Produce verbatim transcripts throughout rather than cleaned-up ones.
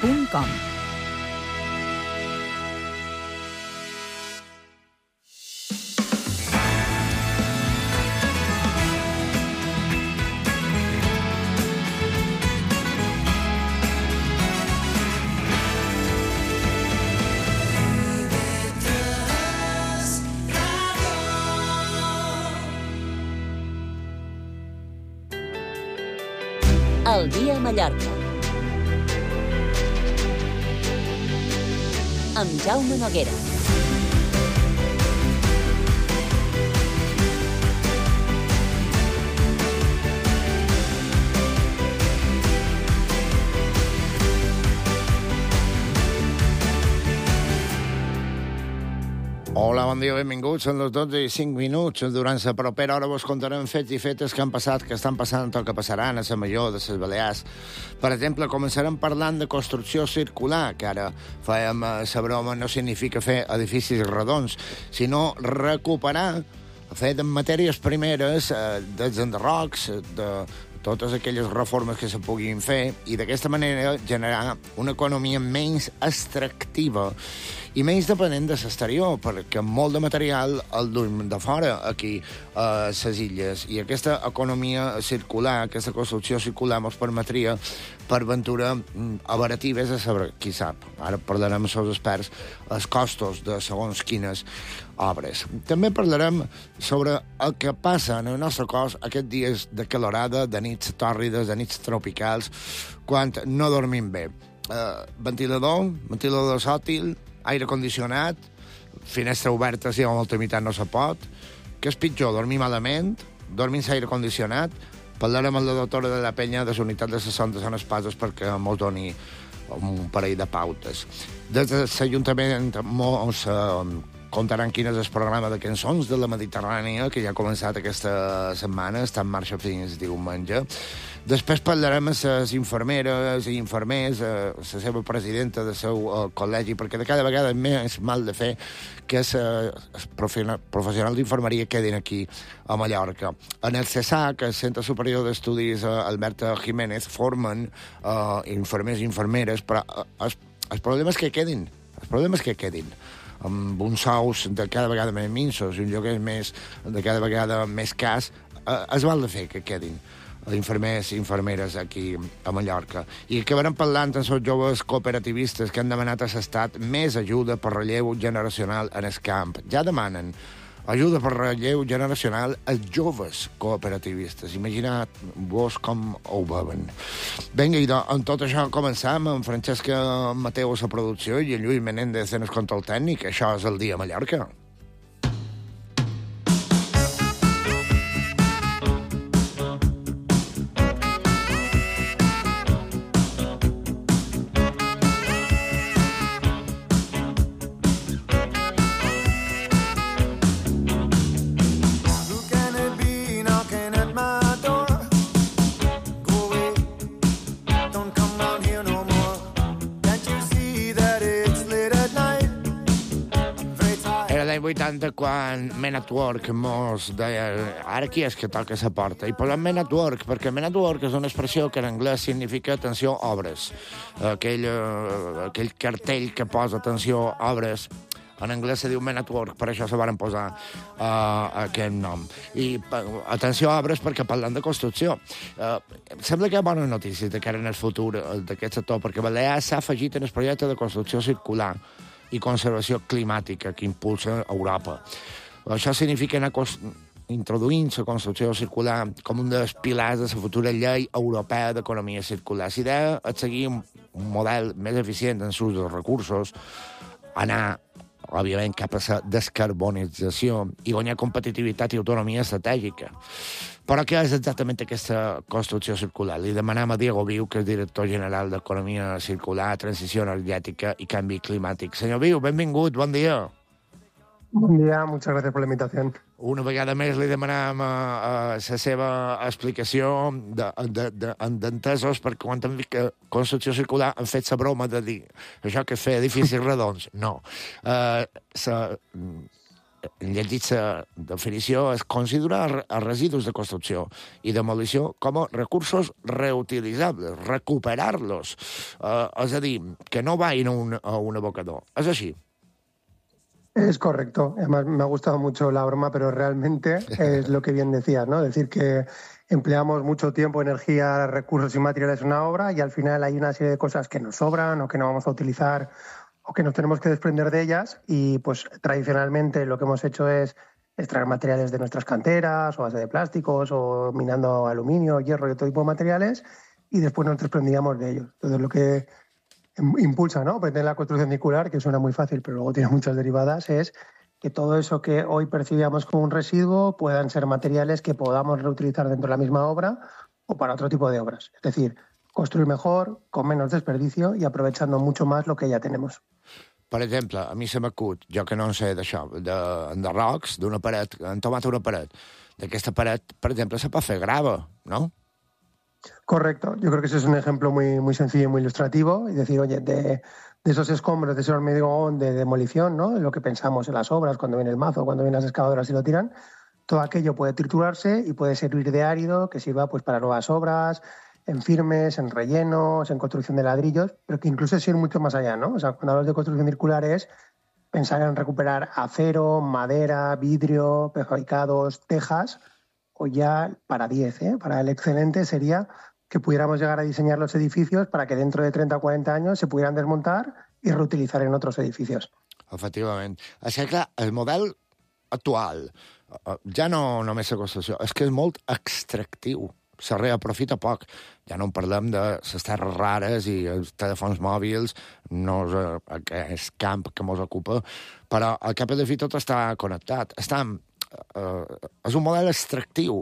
punt com. El dia a Mallorca. Amb Jaume Noguera. Hola, bon dia, benvinguts. Són les dotze i cinc minuts. Durant la propera hora vos contarem fets i fetes que han passat, que estan passant o que passaran a la Major de les Balears. Per exemple, començarem parlant de construcció circular, que ara fèiem la broma, no significa fer edificis redons, sinó recuperar, fer de matèries primeres, eh, dels enderrocs, de totes aquelles reformes que se puguin fer i d'aquesta manera generar una economia menys extractiva i menys dependent de l'exterior, perquè molt de material el duim de fora aquí a les illes, i aquesta economia circular, aquesta construcció circular ens permetria per ventura abaratir, vés a saber, qui sap, ara parlarem amb els experts, els costos de segons quines obres. També parlarem sobre el que passa en el nostre cos aquests dies de calorada, de nits tòrrides, de nits tropicals, quan no dormim bé. Uh, ventilador, ventilador sòtil, aire condicionat, finestra oberta si a molta mitat no se pot. Què és pitjor, dormir malament, dormir sense aire condicionat? Parlarem amb la doctora de la Penya de la unitat de les sondes en espases perquè mos doni un parell de pautes. Des de l'Ajuntament mos eh, contaran quin és el programa de cançons de la Mediterrània, que ja ha començat aquesta setmana, està en marxa fins diumenge. Després parlarem amb les infermeres i infermers, eh, la seva presidenta del seu eh, col·legi, perquè de cada vegada més mal de fer que els eh, professionals d'infermeria quedin aquí a Mallorca. En el CESAC, el Centre Superior d'Estudis eh, Alberta Jiménez, formen eh, infermers i infermeres, però eh, els, els problemes que quedin, els problemes que quedin, amb uns sous de cada vegada més minsos i un lloguer més, de cada vegada més cas, eh, es val de fer que quedin infermers i infermeres aquí a Mallorca. I acabarem parlant amb els joves cooperativistes que han demanat a l'Estat més ajuda per relleu generacional en el camp. Ja demanen ajuda per relleu generacional als joves cooperativistes. Imagineu-vos com ho veuen. Vinga, i amb tot això començam amb Francesca Mateu a la producció i en Lluís Menéndez en el control tècnic. Això és el dia a Mallorca. vuitanta quan Men at Work mos deia ara qui és que toca la porta, i posem Men at Work perquè Men at Work és una expressió que en anglès significa atenció obres, aquell, aquell cartell que posa atenció obres en anglès se diu Men at Work, per això se van posar uh, aquest nom. I uh, atenció a obres perquè parlant de construcció. Uh, sembla que hi ha bones notícies de cara en el futur d'aquest sector, perquè Balears s'ha afegit en el projecte de construcció circular i conservació climàtica que impulsa Europa. Això significa anar introduint la construcció circular com un dels pilars de la futura llei europea d'economia circular. La idea és seguir un, un model més eficient en l'ús dels recursos, anar, òbviament, cap a la descarbonització i guanyar competitivitat i autonomia estratègica. Però què és exactament aquesta construcció circular? Li demanem a Diego Viu, que és director general d'Economia Circular, Transició Energètica i Canvi Climàtic. Senyor Viu, benvingut, bon dia. Bon dia, muchas gracias por la invitación. Una vegada més li demanem la seva explicació d'entesos, perquè quan hem dit que construcció circular han fet la broma de dir això que és fer edificis redons. No. Uh, sa, llegit la definició, es considera els residus de construcció i demolició com a recursos reutilitzables, recuperar-los. Eh, és a dir, que no vagin a un, a un abocador. És així. Es correcto. Además, me ha gustado mucho la broma, pero realmente es lo que bien decías, ¿no? Es decir, que empleamos mucho tiempo, energía, recursos y materiales en una obra y al final hay una serie de cosas que nos sobran o que no vamos a utilizar o que nos tenemos que desprender de ellas y pues tradicionalmente lo que hemos hecho es extraer materiales de nuestras canteras o base de plásticos o minando aluminio, hierro y otro tipo de materiales y después nos desprendíamos de ellos. Entonces lo que impulsa, ¿no? Pretende la construcción circular, que suena muy fácil, pero luego tiene muchas derivadas, es que todo eso que hoy percibíamos como un residuo puedan ser materiales que podamos reutilizar dentro de la misma obra o para otro tipo de obras. Es decir, construir mejor, con menos desperdicio y aprovechando mucho más lo que ya tenemos. Per exemple, a mi se m'acut, jo que no en sé d'això, de, de rocs, d'una paret, han tomat una paret. D'aquesta paret, per exemple, se pot fer grava, no? Correcto. Yo creo que ese es un ejemplo muy, muy sencillo y muy ilustrativo. Y decir, oye, de, de esos escombros, de ese hormigón de demolición, ¿no? Lo que pensamos en las obras, cuando viene el mazo, cuando vienen las excavadoras y lo tiran, todo aquello puede triturarse y puede servir de árido que sirva pues, para nuevas obras, en firmes, en rellenos, en construcción de ladrillos, pero que incluso es ir mucho más allá, ¿no? O sea, cuando hablamos de construcción circular es pensar en recuperar acero, madera, vidrio, prefabricados, tejas, o ya para diez, ¿eh? Para el excelente sería que pudiéramos llegar a diseñar los edificios para que dentro de treinta o cuarenta años se pudieran desmontar y reutilizar en otros edificios. Efectivament. És que, clar, el model actual ja no només la construcció, és que és molt extractiu. Se reaprofita poc. Ja no en parlem de les terres rares i els telèfons mòbils, no és aquest camp que ens ocupa, però al cap i a la fi tot està connectat. Està Uh, és un model extractiu.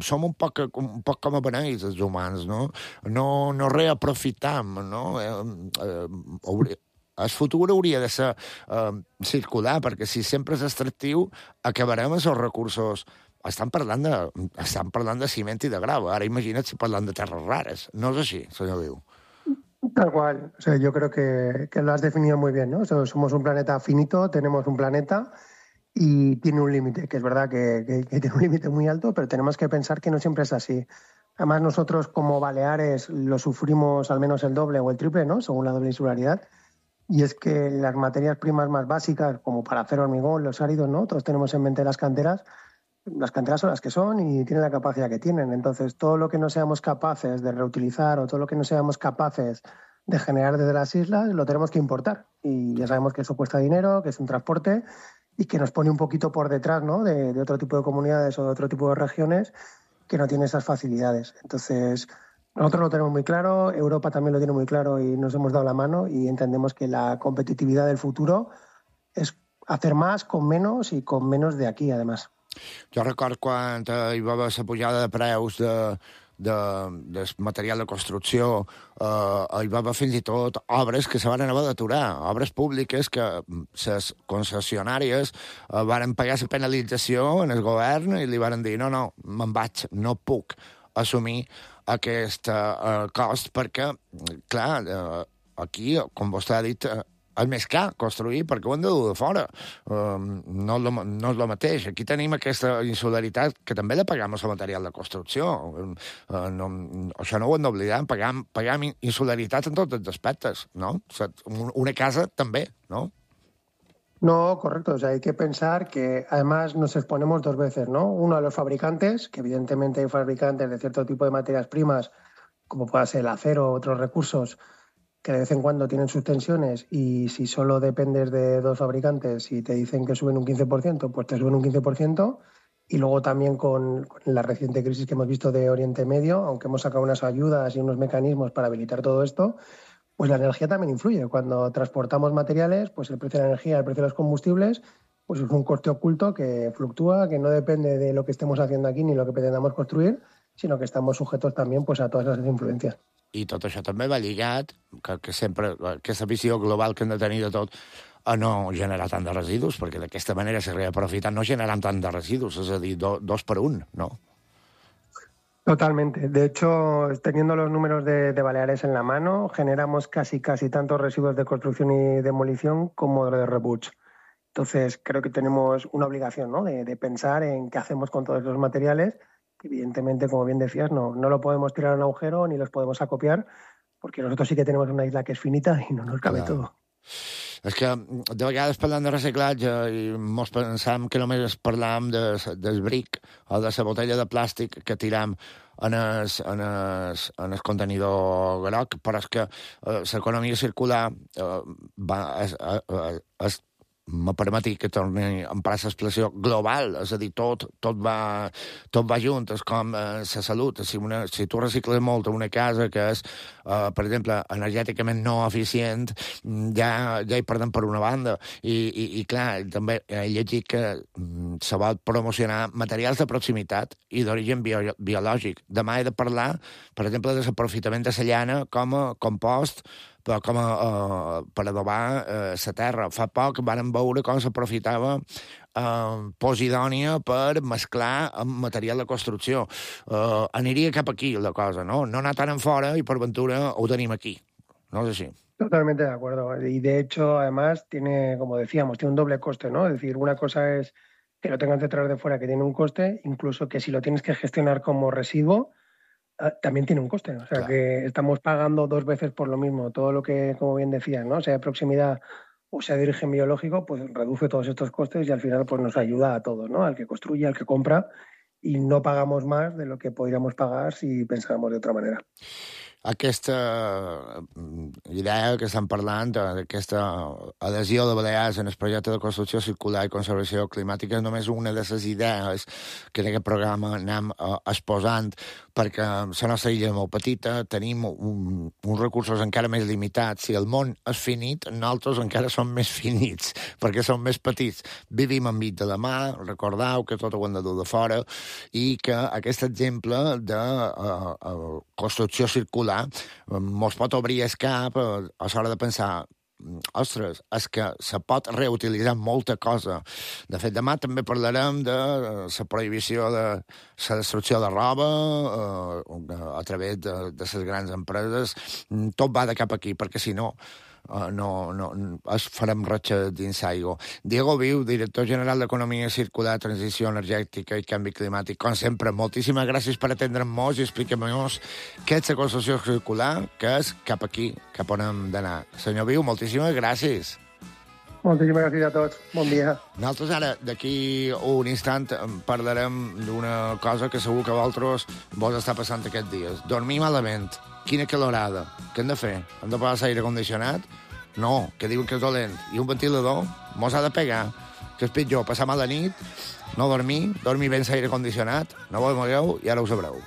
Som un poc, un poc com a beneis, els humans, no? No, no reaprofitam, no? Uh, uh, hauria, el futur hauria de ser uh, circular, perquè si sempre és extractiu, acabarem els recursos. Estan parlant de, estan parlant de ciment i de grava. Ara imagina't si parlant de terres rares. No és així, senyor Viu. Tal cual. O sea, yo creo que, que lo has definido muy bien, ¿no? O sea, somos un planeta finito, tenemos un planeta y tiene un límite, que es verdad que, que, que tiene un límite muy alto, pero tenemos que pensar que no siempre es así. Además, nosotros como Baleares lo sufrimos al menos el doble o el triple, ¿no? Según la doble insularidad. Y es que las materias primas más básicas, como para hacer hormigón, los áridos, ¿no? Todos tenemos en mente las canteras. Las canteras son las que son y tienen la capacidad que tienen. Entonces, todo lo que no seamos capaces de reutilizar o todo lo que no seamos capaces de generar desde las islas, lo tenemos que importar. Y ya sabemos que eso cuesta dinero, que es un transporte y que nos pone un poquito por detrás, ¿no? de, de otro tipo de comunidades o de otro tipo de regiones que no tienen esas facilidades. Entonces, nosotros lo tenemos muy claro, Europa también lo tiene muy claro y nos hemos dado la mano y entendemos que la competitividad del futuro es hacer más con menos y con menos de aquí, además. Jo record quan hi va haver la pujada de preus de, de, de material de construcció, eh, hi va haver fins i tot obres que se van haver d'aturar, obres públiques que les concessionàries eh, van pagar la penalització en el govern i li van dir no, no, me'n vaig, no puc assumir aquest eh, cost perquè, clar, eh, aquí, com vostè ha dit, eh, és més car construir perquè ho hem de dur de fora. Uh, no, és lo, no és el mateix. Aquí tenim aquesta insularitat que també la pagam al material de construcció. Uh, no, això no ho hem d'oblidar. Pagam, pagam insularitat en tots els aspectes, ¿no? O sea, una casa també, ¿no? No, correcto. O sea, hay que pensar que además nos exponemos dos veces, ¿no? Uno a los fabricantes, que evidentemente hay fabricantes de cierto tipo de materias primas, como pueda ser el acero o otros recursos, que de vez en cuando tienen sus tensiones y si solo dependes de dos fabricantes y te dicen que suben un quince por ciento, pues te suben un quince por ciento. Y luego también con, con la reciente crisis que hemos visto de Oriente Medio, aunque hemos sacado unas ayudas y unos mecanismos para habilitar todo esto, pues la energía también influye. Cuando transportamos materiales, pues el precio de la energía, el precio de los combustibles, pues es un coste oculto que fluctúa, que no depende de lo que estemos haciendo aquí ni lo que pretendamos construir, sino que estamos sujetos también pues, a todas esas influencias. I tot això també va lligat, que, que sempre aquesta visió global que hem de tenir de tot, a no generar tant de residus, perquè d'aquesta manera se reaprofita no generant tant de residus, és a dir, do, dos per un, ¿no? Totalmente. De hecho, teniendo los números de, de Baleares en la mano, generamos casi casi tantos residuos de construcción y demolición como de rebuts. Entonces, creo que tenemos una obligación, ¿no? de, de pensar en qué hacemos con todos los materiales. Evidentemente, como bien decías, no, no lo podemos tirar a un agujero ni los podemos acopiar, porque nosotros sí que tenemos una isla que es finita y no nos cabe Clar. todo. És que de vegades parlant de reciclatge i mos pensam que només parlam de, del bric o de la botella de plàstic que tiram en el, en el, en el contenidor groc, però és que eh, l'economia circular eh, va, és, és, és me permeti que torni a emprar l'expressió global, és a dir, tot, tot, va, tot va junt, és com eh, la salut. Si, una, si tu recicles molt a una casa que és, eh, per exemple, energèticament no eficient, ja, ja hi perdem per una banda. I, i, i clar, també he llegit que mm, se vol promocionar materials de proximitat i d'origen bio, biològic. Demà he de parlar, per exemple, de l'aprofitament de la llana com a compost, però com a, uh, per adobar la uh, terra. Fa poc vam veure com s'aprofitava uh, Posidònia per mesclar amb material de construcció. Uh, aniria cap aquí la cosa, no? No anar tan en fora i per ventura ho tenim aquí. No és així. Totalmente de acuerdo. Y de hecho, además, tiene, como decíamos, tiene un doble coste, ¿no? Es decir, una cosa es que lo tengas que traer de fuera, que tiene un coste, incluso que si lo tienes que gestionar como residuo, también tiene un coste, o sea, claro, que estamos pagando dos veces por lo mismo. Todo lo que, como bien decías, ¿no? Sea de proximidad o sea de origen biológico, pues reduce todos estos costes y al final pues nos ayuda a todos, ¿no? Al que construye, al que compra, y no pagamos más de lo que podríamos pagar si pensáramos de otra manera. Aquesta idea que estan parlant, aquesta adhesió de Balears en el projecte de construcció circular i conservació climàtica és només una de les idees que en aquest programa anem uh, exposant, perquè la nostra illa és molt petita, tenim un, uns recursos encara més limitats. Si el món és finit, nosaltres encara som més finits, perquè som més petits. Vivim enmig de la mà, recordeu que tot ho hem de dur de fora, i que aquest exemple de uh, uh, construcció circular mos pot obrir el cap a l'hora de pensar, ostres, és que se pot reutilitzar molta cosa. De fet, demà també parlarem de la prohibició de la destrucció de roba eh, a través de, de les grans empreses. Tot va de cap aquí, perquè si no, Uh, no, no, es farem ratxa dins aigua. Diego Viu, director general d'Economia Circular, Transició Energètica i Canvi Climàtic. Com sempre, moltíssimes gràcies per atendre'm-nos i expliquem-nos què és la construcció circular, que és cap aquí, cap on hem d'anar. Senyor Viu, moltíssimes gràcies. Moltíssimes gràcies a tots. Bon dia. Nosaltres ara, d'aquí un instant, parlarem d'una cosa que segur que vosaltres vos està passant aquests dies. Dormir malament. Quina calorada. Què hem de fer? Hem de posar l'aire condicionat? No, que diuen que és dolent. I un ventilador mos ha de pegar. Que és pitjor, passar mal la nit, no dormir, dormir ben l'aire condicionat, no vos mogueu i ara ho sabreu.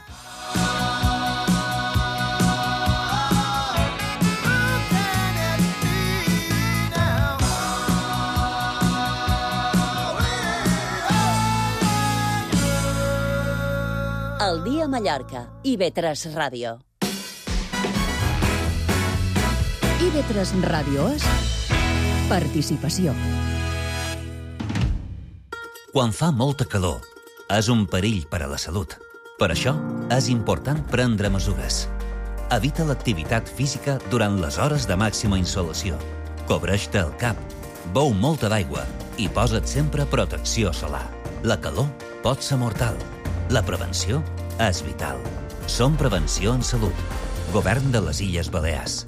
El dia a Mallorca. I ve tres Ràdio. I ve tres Ràdio és participació. Quan fa molta calor, és un perill per a la salut. Per això, és important prendre mesures. Evita l'activitat física durant les hores de màxima insolació. Cobreix-te el cap, beu molta d'aigua i posa't sempre protecció solar. La calor pot ser mortal. La prevenció és vital. Som Prevenció en Salut. Govern de les Illes Balears.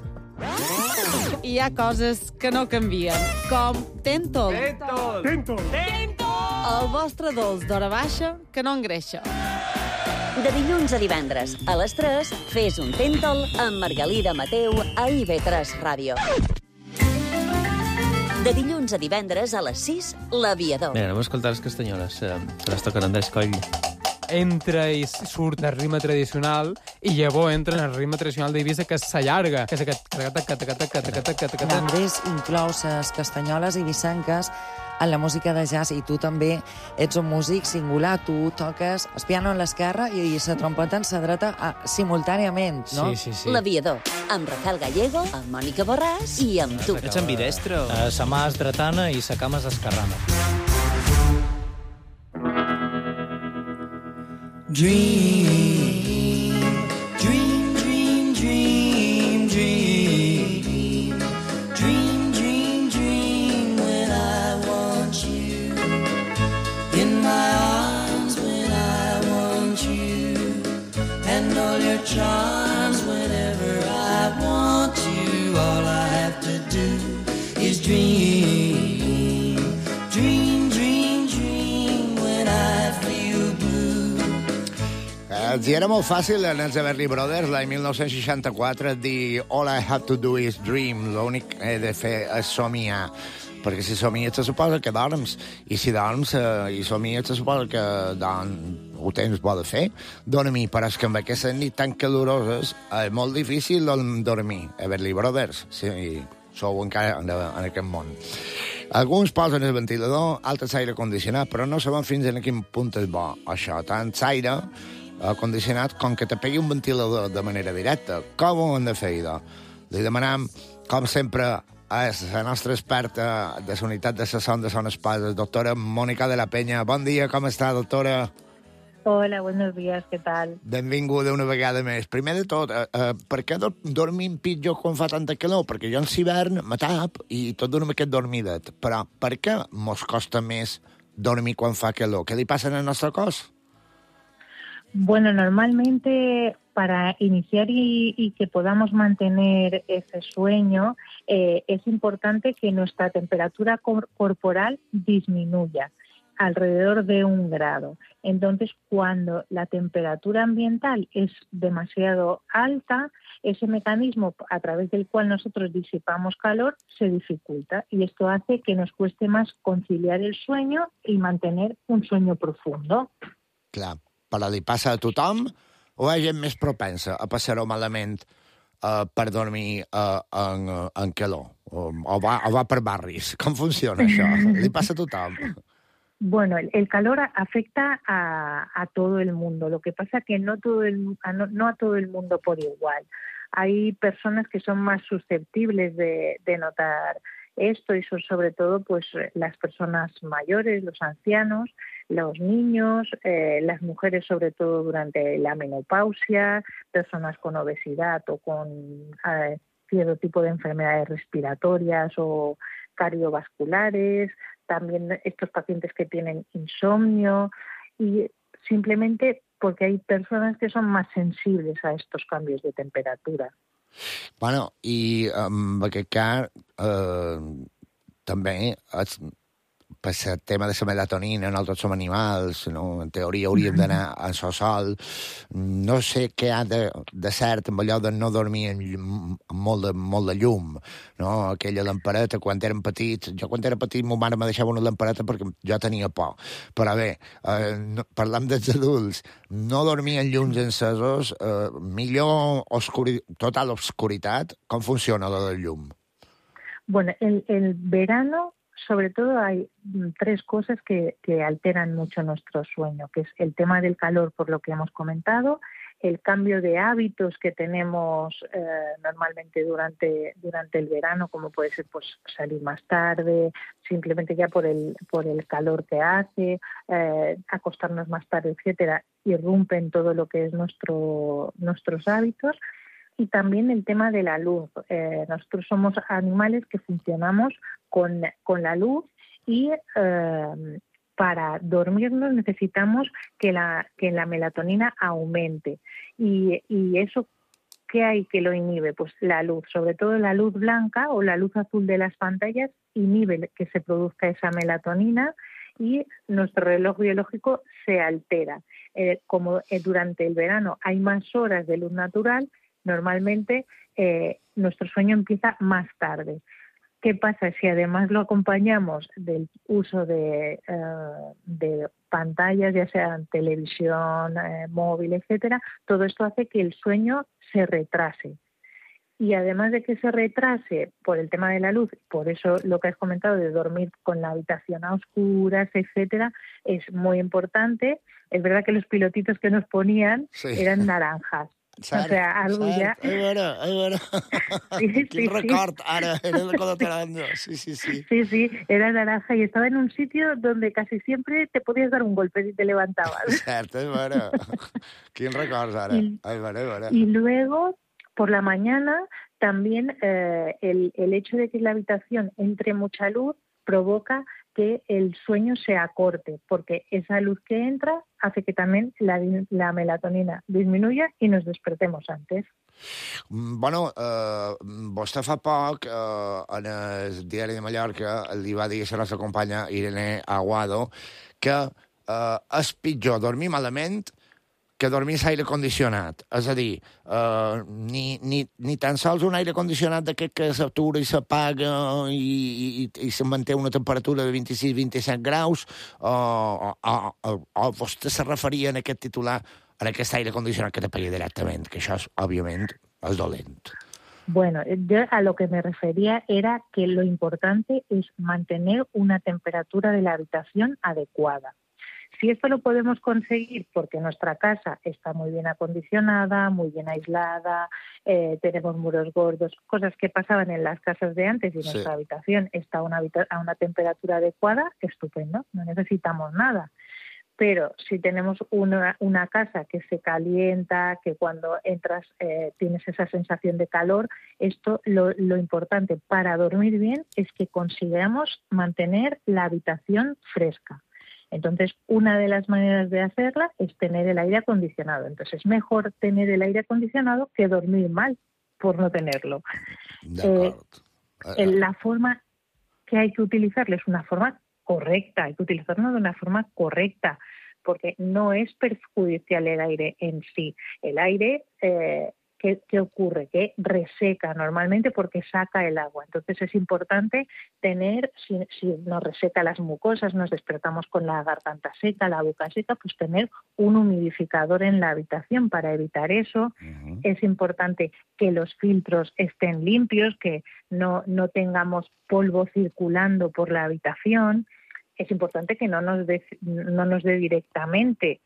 Hi ha coses que no canvien, com Tentol. Tentol! Tentol! Tentol! El vostre dolç d'hora baixa que no engreixa. De dilluns a divendres, a les tres, fes un Tentol amb Margalida Mateu a I V tres Ràdio. De dilluns a divendres a les sis, L'Aviador. Mira, anem a escoltar les castanyoles, eh, que les toquen Andrés Coll. Entra i surt el ritme tradicional i llavors entra en el ritme tradicional d'Eivissa, que s'allarga, que és aquest... Andrés inclou les castanyoles eivissenques en la música de jazz, i tu també ets un músic singular. Tu toques el piano en l'esquerra i la trompeta en la dreta simultàniament, no? Sí, sí, sí. L'Aviador, amb Rafael Gallego, amb Mònica Borràs i amb tu. Ets ambidestre o...? Uh, sa mà és dretana i sa cama és esquerrana. Dream, dream, dream, dream, dream. Dream, dream, dream when I want Els hi era molt fàcil en els Everly Brothers, l'any mil nou-cents seixanta-quatre, dir All I have to do is dream, l'únic que he de fer és somiar. Perquè si somies te suposa que dorms, i si dorms eh, i somies te suposa que don, ho tens bo de fer, dormir, però és que amb aquestes nits tan caloroses és molt difícil dormir. Everly Brothers, si sou encara en, en aquest món. Alguns posen el ventilador, altres aire condicionat, però no sabem fins a quin punt és bo això. Tant aire condicionat com que te pegui un ventilador de manera directa. Com ho hem de fer, idò? Li demanem, com sempre, és la nostra experta de la unitat de la Son de Son Espases, doctora Mònica de la Peña. Bon dia, com està, doctora? Hola, buenos días, què tal? Benvinguda una vegada més. Primer de tot, eh, eh, per què do dormim pitjor quan fa tanta calor? Perquè jo en l'hivern me tap i tot d'una aquest dormidet. Però per què mos costa més dormir quan fa calor? Què li passa al nostre cos? Bueno, normalmente para iniciar y, y que podamos mantener ese sueño, eh, es importante que nuestra temperatura cor- corporal disminuya alrededor de un grado. Entonces, cuando la temperatura ambiental es demasiado alta, ese mecanismo a través del cual nosotros disipamos calor se dificulta y esto hace que nos cueste más conciliar el sueño y mantener un sueño profundo. Clar. Però li passa a tothom o hi ha gent més propensa a passar-ho malament uh, per dormir uh, en, uh, en calor? O, o, va, o va per barris? Com funciona això? Li passa a tothom? Bueno, el, el calor afecta a, a todo el mundo. Lo que pasa que no, todo el, a no, no a todo el mundo por igual. Hay personas que son más susceptibles de, de notar esto y son sobre todo pues las personas mayores, los ancianos, los niños, eh, las mujeres sobre todo durante la menopausia, personas con obesidad o con eh, cierto tipo de enfermedades respiratorias o cardiovasculares, también estos pacientes que tienen insomnio y simplemente porque hay personas que son más sensibles a estos cambios de temperatura. Bueno, i en aquest cas eh, també és, per el tema de la melatonina, nosaltres som animals, no? En teoria hauríem d'anar a so sol. No sé què ha de, de cert amb allò de no dormir amb, amb molt, de, molt de llum, no? Aquella lampareta, quan érem petits... Jo quan era petit, ma mare me deixava una lampareta perquè jo tenia por. Però bé, eh, no, parlant dels adults, no dormir en llums encesos, eh, millor oscuri, total obscuritat. Com funciona lo del llum? Bueno, el, el verano... Sobre todo hay tres cosas que, que alteran mucho nuestro sueño, que es el tema del calor, por lo que hemos comentado, el cambio de hábitos que tenemos eh, normalmente durante, durante el verano, como puede ser pues salir más tarde, simplemente ya por el, por el calor que hace, eh, acostarnos más tarde, etcétera, irrumpen todo lo que es nuestro, nuestros hábitos. Y también el tema de la luz. Eh, nosotros somos animales que funcionamos con, con la luz y eh, para dormirnos necesitamos que la, que la melatonina aumente. Y, y eso, ¿qué hay que lo inhibe? Pues la luz, sobre todo la luz blanca o la luz azul de las pantallas inhibe que se produzca esa melatonina y nuestro reloj biológico se altera. Eh, como eh, durante el verano hay más horas de luz natural, normalmente eh, nuestro sueño empieza más tarde. ¿Qué pasa si además lo acompañamos del uso de, eh, de pantallas, ya sean televisión, eh, móvil, etcétera? Todo esto hace que el sueño se retrase. Y además de que se retrase por el tema de la luz, por eso lo que has comentado de dormir con la habitación a oscuras, etcétera, es muy importante. Es verdad que los pilotitos que nos ponían sí. eran naranjas. Cert, o sea, algo cert. ya... Ai, veure, ai, veure. Sí, Quin sí, record, sí. ara, era de cuando te dando. Sí, sí, sí. Sí, sí, era naranja y estaba en un sitio donde casi siempre te podías dar un golpe si te levantabas. Cert, ai, veure. Quin records, ara. Y, ai, veure, ai, veure. Y luego, por la mañana, también eh, el, el hecho de que en la habitación entre mucha luz provoca que el sueño se acorte, porque esa luz que entra hace que también la, la melatonina disminuya y nos despertemos antes. Bueno, eh, vostè fa poc, eh, en el diari de Mallorca, li va dir a la nostra companya Irene Aguado que eh, és pitjor dormir malament que dormir l'aire condicionat. És a dir, uh, ni, ni, ni tan sols un aire condicionat d'aquest que s'atura i s'apaga i, i, i se manté una temperatura de vint-i-sis a vint-i-set graus, o, o, o, o vostè se referia en aquest titular a aquest aire condicionat que t'apaga directament, que això, és, òbviament, és dolent. Bueno, yo a lo que me refería era que lo importante es mantener una temperatura de la habitación adecuada. Si esto lo podemos conseguir porque nuestra casa está muy bien acondicionada, muy bien aislada, eh, tenemos muros gordos, cosas que pasaban en las casas de antes y Sí. nuestra habitación está a una, habita- a una temperatura adecuada, estupendo, no necesitamos nada. Pero si tenemos una, una casa que se calienta, que cuando entras eh, tienes esa sensación de calor, esto lo, lo importante para dormir bien es que consigamos mantener la habitación fresca. Entonces, una de las maneras de hacerla es tener el aire acondicionado. Entonces, es mejor tener el aire acondicionado que dormir mal por no tenerlo. Eh, la forma que hay que utilizarlo es una forma correcta, hay que utilizarlo de una forma correcta, porque no es perjudicial el aire en sí. El aire, eh, ¿qué, qué ocurre? Que reseca normalmente porque saca el agua. Entonces es importante tener, si, si nos reseca las mucosas, nos despertamos con la garganta seca, la boca seca, pues tener un humidificador en la habitación para evitar eso. Uh-huh. Es importante que los filtros estén limpios, que no, no tengamos polvo circulando por la habitación. Es importante que no nos dé, no nos dé directamente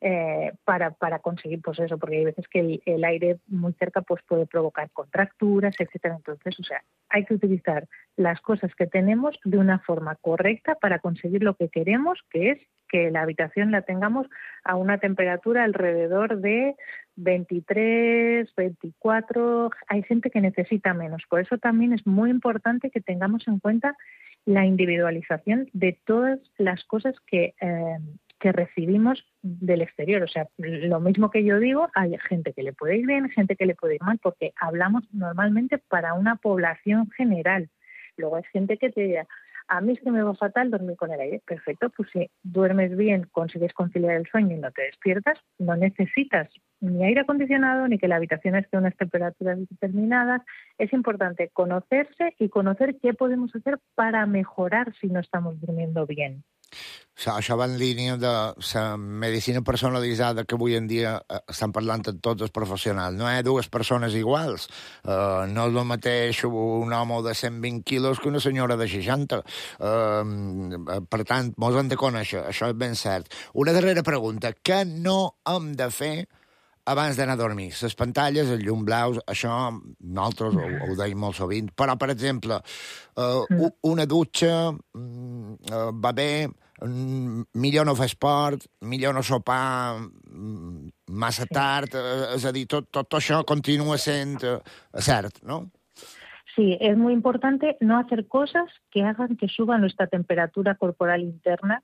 eh, para, para conseguir pues eso, porque hay veces que el, el aire muy cerca pues puede provocar contracturas, etcétera. Entonces, o sea, hay que utilizar las cosas que tenemos de una forma correcta para conseguir lo que queremos, que es que la habitación la tengamos a una temperatura alrededor de veintitrés, veinticuatro. Hay gente que necesita menos. Por eso también es muy importante que tengamos en cuenta la individualización de todas las cosas que, eh, que recibimos del exterior. O sea, lo mismo que yo digo, hay gente que le puede ir bien, gente que le puede ir mal, porque hablamos normalmente para una población general. Luego hay gente que te dirá, a mí es que me va fatal dormir con el aire. Perfecto, pues si duermes bien, consigues conciliar el sueño y no te despiertas, no necesitas ni aire acondicionado ni que la habitación esté a unas temperaturas determinadas. Es importante conocerse y conocer qué podemos hacer para mejorar si no estamos durmiendo bien. Això, això va en línia de la medicina personalitzada que avui en dia eh, estan parlant amb tots els professionals. No hi ha dues persones iguals. Uh, no és el mateix un home de cent vint quilos que una senyora de seixanta. Uh, per tant, mos hem de conèixer, això és ben cert. Una darrera pregunta. Què no hem de fer abans d'anar a dormir? Les pantalles, els llum blaus, això nosaltres ho, ho deim molt sovint. Però, per exemple, uh, una dutxa uh, va bé, millor no fer esport, millor no sopar massa tard, és a dir, tot, tot això continua sent cert, ¿no? Sí, es muy importante no hacer cosas que hagan que suba nuestra temperatura corporal interna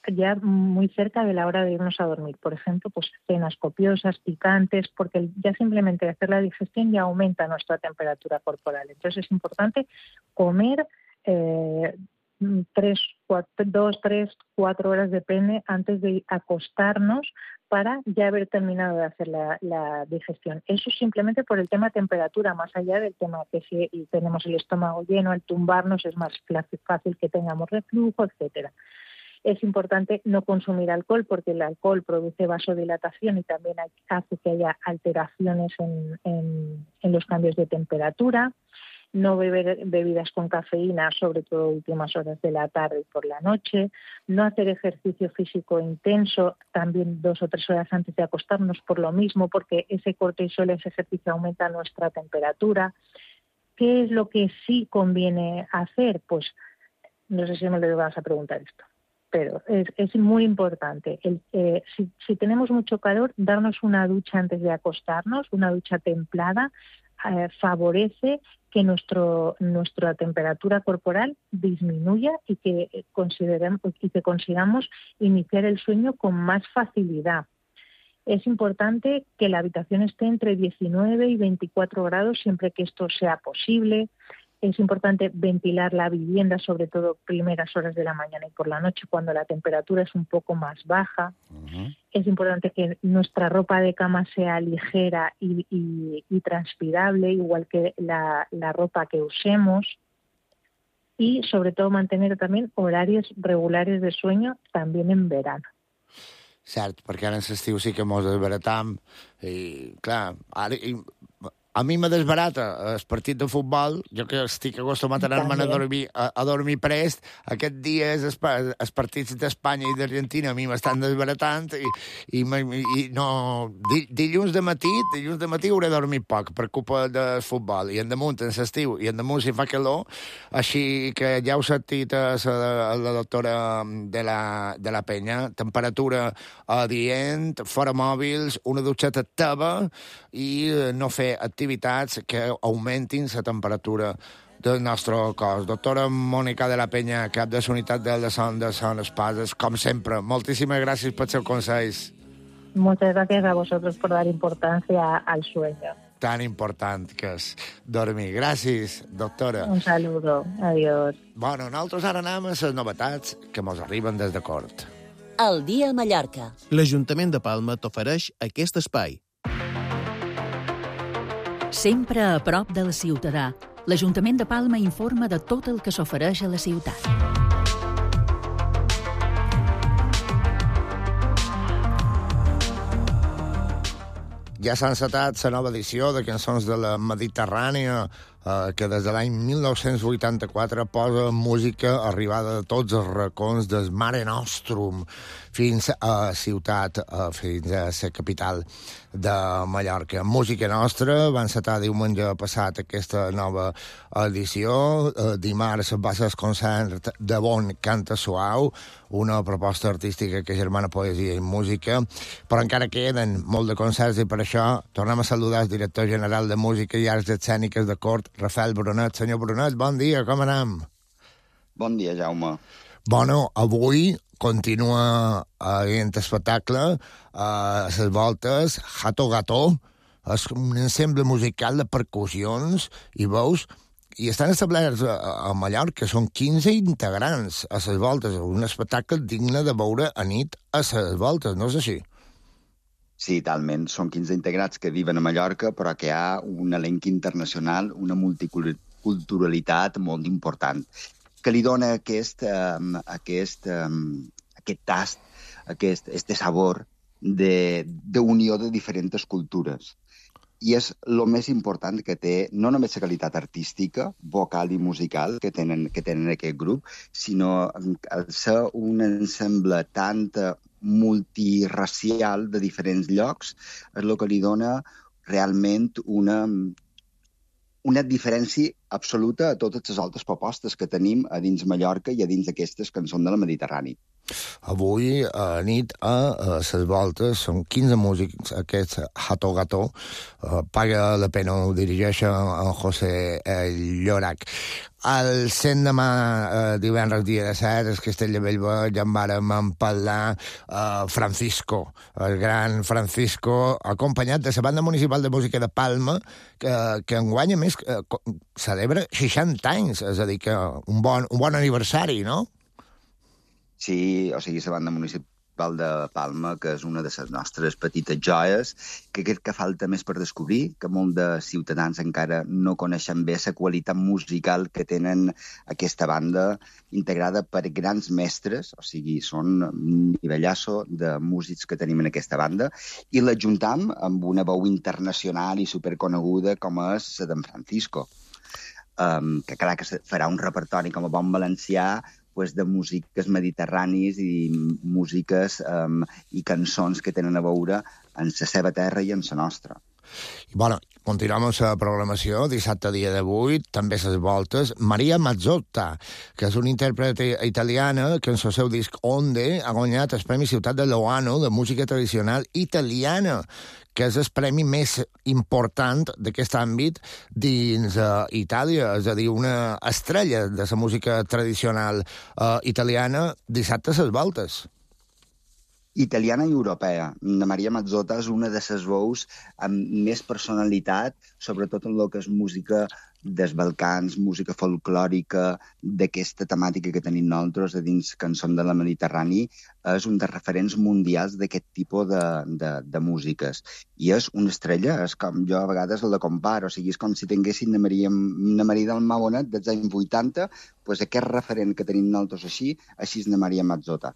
ya muy cerca de la hora de irnos a dormir. Por ejemplo, pues cenas copiosas, picantes, porque ya simplemente hacer la digestión ya aumenta nuestra temperatura corporal. Entonces es importante comer eh, tres, cuatro, dos, tres, cuatro horas, depende, antes de acostarnos para ya haber terminado de hacer la, la digestión. Eso simplemente por el tema temperatura, más allá del tema que si tenemos el estómago lleno, al tumbarnos es más fácil que tengamos reflujo, etcétera. Es importante no consumir alcohol porque el alcohol produce vasodilatación y también hace que haya alteraciones en, en, en los cambios de temperatura. No beber bebidas con cafeína, sobre todo a últimas horas de la tarde y por la noche. No hacer ejercicio físico intenso, también dos o tres horas antes de acostarnos por lo mismo, porque ese cortisol, ese ejercicio aumenta nuestra temperatura. ¿Qué es lo que sí conviene hacer? Pues no sé si me lo vas a preguntar esto, pero es, es muy importante. El, eh, si, si tenemos mucho calor, darnos una ducha antes de acostarnos, una ducha templada, eh, favorece que nuestro, nuestra temperatura corporal disminuya y que, consideremos, y que consigamos iniciar el sueño con más facilidad. Es importante que la habitación esté entre diecinueve y veinticuatro grados siempre que esto sea posible, es importante ventilar la vivienda, sobre todo primeras horas de la mañana y por la noche, cuando la temperatura es un poco más baja. Uh-huh. Es importante que nuestra ropa de cama sea ligera y, y, y transpirable, igual que la, la ropa que usemos. Y, sobre todo, mantener también horarios regulares de sueño, también en verano. Cert, perquè ara en l'estiu sí que mos desbaratam i, clar, ara... I... A mi me desbarata el partit de futbol, jo que estic acostumat a anar-me'n a dormir, a, a dormir prest, aquest dia és els partits d'Espanya i d'Argentina a mi m'estan desbaratant i, i, i no... Dilluns de matí, dilluns de matí hauré dormit poc per culpa del futbol, i en damunt en l'estiu, i en damunt si fa calor, així que ja heu sentit a la, a la doctora de la, de la Penya, temperatura adient, fora mòbils, una dutxeta teva i no fer activitats que augmentin la temperatura del nostre cos. Doctora Mònica de la Penya, cap de la unitat de la Son de Son Espases, com sempre, moltíssimas gràcies per seus consells. Muchas gracias a vosotros por dar importancia al sueño. Tan important que és dormir. Gràcies, doctora. Un saludo. Adiós. Bueno, nosaltres ara anem a les novetats que mos arriben des de Cort. El dia a Mallorca. L'Ajuntament de Palma t'ofereix aquest espai. Sempre a prop del ciutadà, l'Ajuntament de Palma informa de tot el que s'ofereix a la ciutat. Ja s'ha encetat la nova edició de Cançons de la Mediterrània, eh, que des de l'any mil nou-cents vuitanta-quatre posa música arribada de tots els racons del Mare Nostrum fins a Ciutat, eh, fins a la capital de Mallorca. Música nostra, va encetar diumenge passat aquesta nova edició. Eh, dimarts va ser el concert de Bon Canta Suau, una proposta artística que germana poesia i música, però encara queden molt de concerts i per això tornem a saludar el director general de Música i Arts Escèniques de Cort, Rafael Brunet. Senyor Brunet, bon dia, com anem? Bon dia, Jaume. Bueno, avui continua aquest espectacle a les voltes Hato Gato, és un ensemble musical de percussions i veus, i estan establerts a, a Mallorca, són quinze integrants a les voltes, un espectacle digne de veure a nit a les voltes, no és així? Sí, talment. Són quinze integrats que viven a Mallorca, però que hi ha un elenc internacional, una multiculturalitat molt important, que li dona aquest, um, aquest, um, aquest tast, aquest, este sabor d'unió de, de diferents cultures. I és el més important que té, no només la qualitat artística, vocal i musical que tenen, que tenen aquest grup, sinó el ser un ensemble tant multiracial de diferents llocs és el que li dona realment una, una diferència absoluta a totes les altres propostes que tenim a dins Mallorca i a dins d'aquestes Cançons de la Mediterrània. Avui, a nit, a les voltes, són quinze músics, aquest Hato Gato, uh, paga la pena, ho dirigeix en José Llorac. El cent demà, uh, divendres dia de set, el Castell de Bellver, ja en vàrem parlar, uh, Francisco, el gran Francisco, acompanyat de la Banda Municipal de Música de Palma, que, que enguany, a més, uh, celebra seixanta anys, és a dir, que un bon, un bon aniversari, no? Sí, o sigui, la Banda Municipal de Palma, que és una de les nostres petites joies, que crec que falta més per descobrir, que molts de ciutadans encara no coneixen bé la qualitat musical que tenen aquesta banda, integrada per grans mestres, o sigui, són un nivellasso de músics que tenim en aquesta banda, i l'ajuntam amb una veu internacional i superconeguda com és la d'en Francisco, um, que clar que farà un repertori com a bon valencià, pues, de músiques mediterranis i músiques um, i cançons que tenen a veure en la seva terra i en la nostra. I, bueno, continuem amb la programació, dissabte dia de vuit, també les voltes, Maria Mazzotta, que és una intèrprete italiana que en el seu disc Onde ha guanyat el Premi Ciutat de Loano de música tradicional italiana, que és el premi més important d'aquest àmbit dins uh, Itàlia, és a dir, una estrella de la música tradicional uh, italiana, dissabte a les voltes. Italiana i europea. La Maria Mazzotta és una de les veus amb més personalitat, sobretot en el que és música dels Balcans, música folclòrica, d'aquesta temàtica que tenim nosaltres a dins Cançons de la Mediterrani, és un dels referents mundials d'aquest tipus de, de, de músiques. I és una estrella, és com jo a vegades la comparo, o sigui, és com si tinguessin una Maria, una Maria del Magonet dels anys vuitanta, doncs aquest referent que tenim nosaltres així, així és la Maria Mazzotta.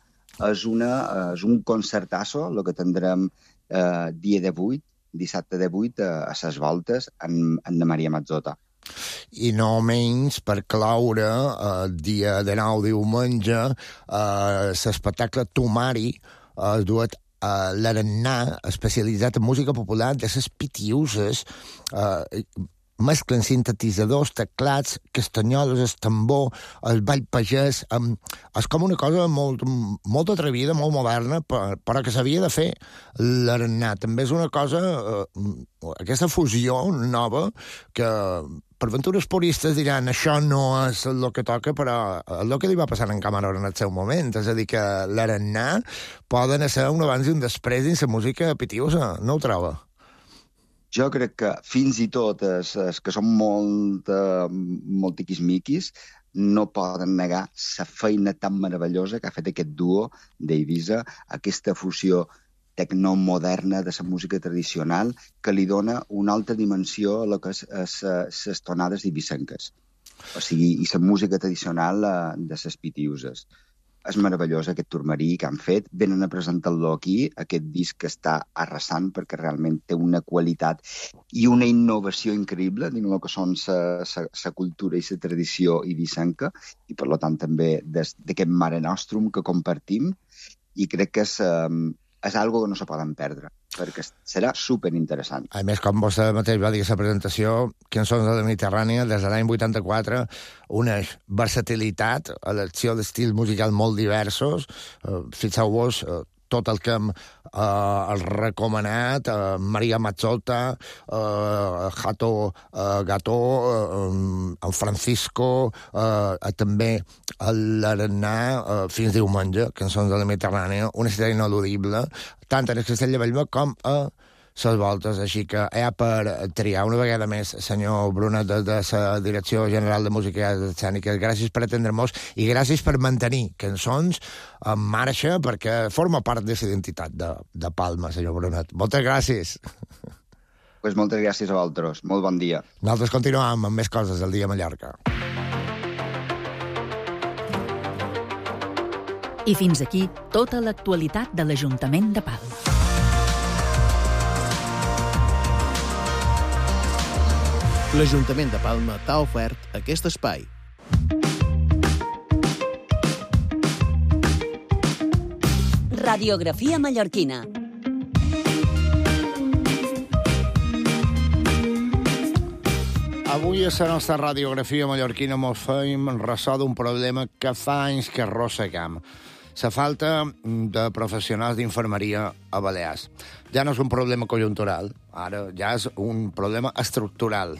És, una, és un concertasso, el que tindrem eh, dia divuit, dissabte divuit, a, a ses voltes, en, en la Maria Mazzotta. I no menys per cloure el dia de nou diumenge l'espectacle Tomari es duet a l'Arannà, especialitzat en música popular de les Pitiuses, mesclen sintetitzadors, teclats, castanyoles, el tambor, el ball pagès. Um, és com una cosa molt, molt atrevida, molt moderna, per, però que s'havia de fer l'Arannà. També és una cosa, uh, aquesta fusió nova, que per ventures puristes diran això no és el que toca, però és el que li va passar en Cameron en el seu moment. És a dir, que l'Arannà poden ser un abans i un després dins la música pitiusa, no ho troba? Jo crec que fins i tot els, els que són molt, uh, molt tiquismiquis no poden negar la feina tan meravellosa que ha fet aquest duo d'Eivissa, aquesta fusió tecnomoderna de la música tradicional que li dona una altra dimensió a lo que és les tonades eivissenques. O sigui, i la música tradicional uh, de les Pitiuses. És meravellós aquest turmarí que han fet. Venen a presentar-lo aquí, aquest disc que està arrasant perquè realment té una qualitat i una innovació increïble dins el que són la cultura i la tradició eivissenca i, per tant, també d'aquest Mare Nostrum que compartim, i crec que és, um, és algo que no se poden perdre, perquè serà superinteressant. A més, com vostè mateix va dir a la presentació, Cançons de la Mediterrània, des de l'any vuitanta-quatre, una versatilitat, elecció d'estils musicals molt diversos. Uh, Fixeu-vos, uh, tot el que hem uh, recomanat, uh, Maria Mazzotta, uh, Hato uh, Gató, uh, el Francisco, uh, també l'Arannà, uh, fins diumenge, Cançons de la Mediterrània, una estrella ineludible, tant en el Castell de Bellver com a les voltes, així que hi ha per triar una vegada més, senyor Brunet, de, de la Direcció General de Música i Escènica. Gràcies per atendre-nos i gràcies per mantenir Cançons en marxa, perquè forma part de la identitat de, de Palma, senyor Brunet. Moltes gràcies. Pues moltes gràcies a vosaltres. Molt bon dia. Nosaltres continuem amb més coses del dia a Mallorca. I fins aquí tota l'actualitat de l'Ajuntament de Palma. L'Ajuntament de Palma t'ha ofert aquest espai. Radiografia mallorquina. Avui a la nostra radiografia mallorquina mos feim ressò d'un problema que fa anys que arrossegam. La falta de professionals d'infermeria a Balears. Ja no és un problema conjuntural, ara ja és un problema estructural.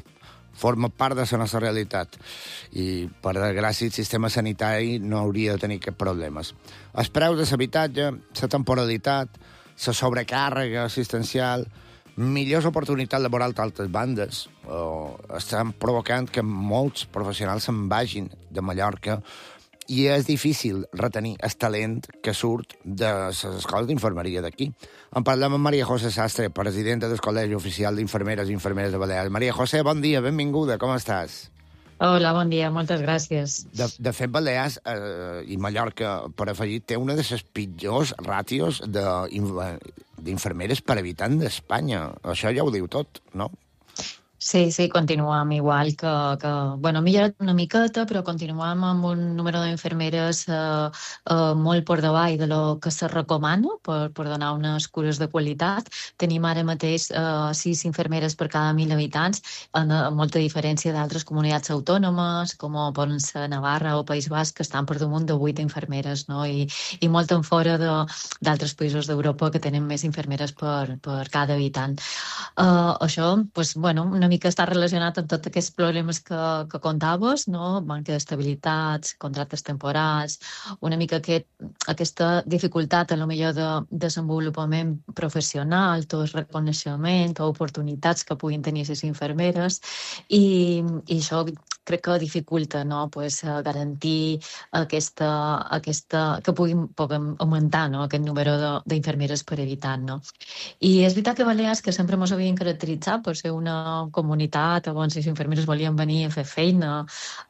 Forma part de la nostra realitat i, per desgràcia, el sistema sanitari no hauria de tenir cap problemes. Els preus de l'habitatge, la temporalitat, la sobrecàrrega assistencial, millors oportunitats laborals d'altres bandes oh, estan provocant que molts professionals se'n vagin de Mallorca i és difícil retenir el talent que surt de les escoles d'infermeria d'aquí. En parlem amb Maria José Sastre, presidenta del Col·legi Oficial d'Infermeres i Infermeres de Balears. Maria José, bon dia, benvinguda, com estàs? Hola, bon dia, moltes gràcies. De, de fet, Balears eh, i Mallorca, per afegir, té una de les pitjors ràtios d'infermeres per habitant d'Espanya. Això ja ho diu tot, no? Sí, sí, continuem igual que... que bueno, ha millorat una miqueta, però continuem amb un número d'infermeres eh, eh, molt per davall de lo que se recomana per, per donar unes cures de qualitat. Tenim ara mateix eh, sis infermeres per cada mil habitants, en, en molta diferència d'altres comunitats autònomes, com poden ser Navarra o País Basc, que estan per damunt de vuit infermeres, no? I, i molt en fora d'altres països d'Europa que tenen més infermeres per, per cada habitant. Eh, això, pues, bueno, una mica està relacionat amb tots aquests problemes que, que contaves, no? Manca d'estabilitats, contractes temporals, una mica aquest, aquesta dificultat a lo millor de desenvolupament professional, tot reconeixement, o oportunitats que puguin tenir les infermeres, i, i això crec que dificulta, no? Pues, garantir aquesta, aquesta, que puguin, puguin augmentar, no? Aquest número d'infermeres per evitar, no? I és veritat que Balears, que sempre ens havien caracteritzat per ser una comunitat on les infermeres volien venir a fer feina,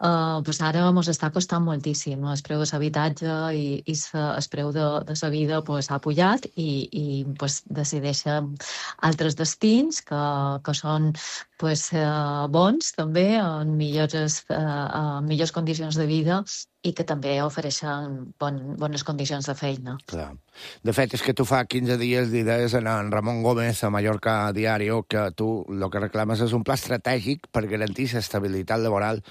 eh, pues ara ens està costant moltíssim. El preu de l'habitatge i, i el preu de, de la vida pues, ha pujat i, i pues, decideixen altres destins que, que són pues, eh, bons també, en millors, eh, en millors condicions de vida i que també ofereixen bon, bones condicions de feina. Clar. De fet, és que tu fa quinze dies li deies a en Ramon Gómez a Mallorca Diario que tu el que reclames és un pla estratègic per garantir l'estabilitat laboral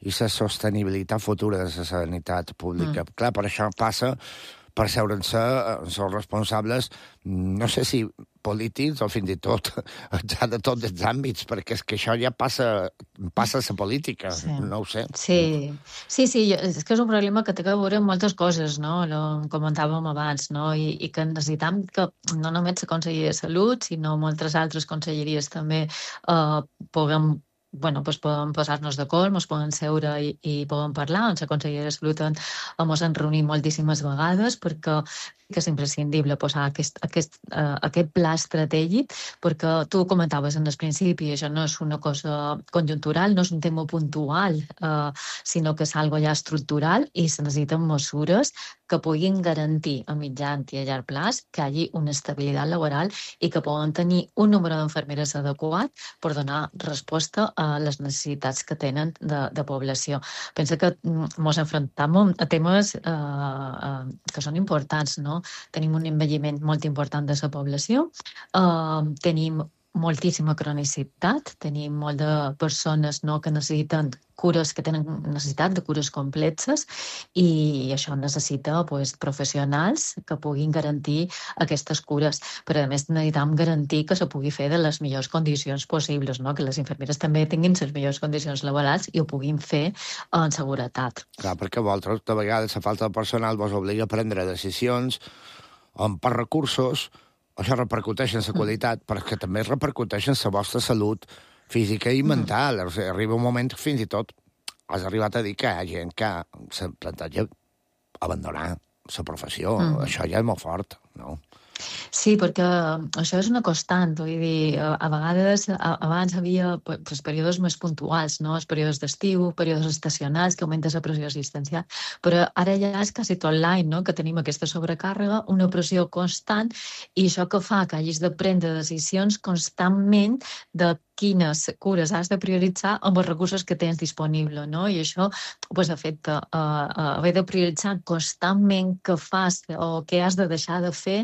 i la sostenibilitat futura de la sanitat pública. Mm. Clar, per això passa per seure'n-se els responsables, no sé si polítics o fins i tot ja de tots els àmbits, perquè és que això ja passa, passa a la política, sí. No ho sé. Sí, sí, sí, és que és un problema que té a veure amb moltes coses, no? Lo comentàvem abans, no? I, i que necessitam que no només la Conselleria de Salut, sinó moltes altres conselleries també eh, puguem bueno, pues podem posar-nos d'acord, ens podem seure i, i podem parlar. En la Conselleria de Salut ens hem reunit moltíssimes vegades perquè que és imprescindible posar aquest, aquest, uh, aquest pla estratègic, perquè tu comentaves en el principi, això no és una cosa conjuntural, no és un tema puntual, uh, sinó que és algo ja estructural i se necessiten mesures que puguin garantir a mitjà i a llarg plaç que hi hagi una estabilitat laboral i que poden tenir un número d'infermeres adequat per donar resposta a les necessitats que tenen de, de població. Pensa que ens enfrontem a temes eh, eh, que són importants, no? Tenim un envelliment molt important de la població, eh, tenim moltíssima cronicitat, tenim molt de persones no, que necessiten cures, que tenen necessitat de cures complexes i això necessita pues, professionals que puguin garantir aquestes cures. Però a més necessitem garantir que se pugui fer de les millors condicions possibles, no? Que les infermeres també tinguin les millors condicions laborals i ho puguin fer en seguretat. Clar, perquè vosaltres, de vegades, la falta de personal vos obliga a prendre decisions on per recursos. Això repercuteix en la qualitat, però que també repercuteix en la vostra salut física i mental. O sigui, arriba un moment que fins i tot has arribat a dir que hi ha gent que se planteja abandonar la professió. Mm. Això ja és molt fort, no? Sí, perquè això és una constant, vull dir, a vegades abans hi havia pues, períodes més puntuals, no? Els períodes d'estiu, períodes estacionals, que augmenta la pressió assistencial, però ara ja és quasi tot l'any, no? Que tenim aquesta sobrecàrrega, una pressió constant, i això que fa que hagis de prendre decisions constantment de quines cures has de prioritzar amb els recursos que tens disponibles, no? I això pues, afecta uh, uh, haver de prioritzar constantment què fas o què has de deixar de fer,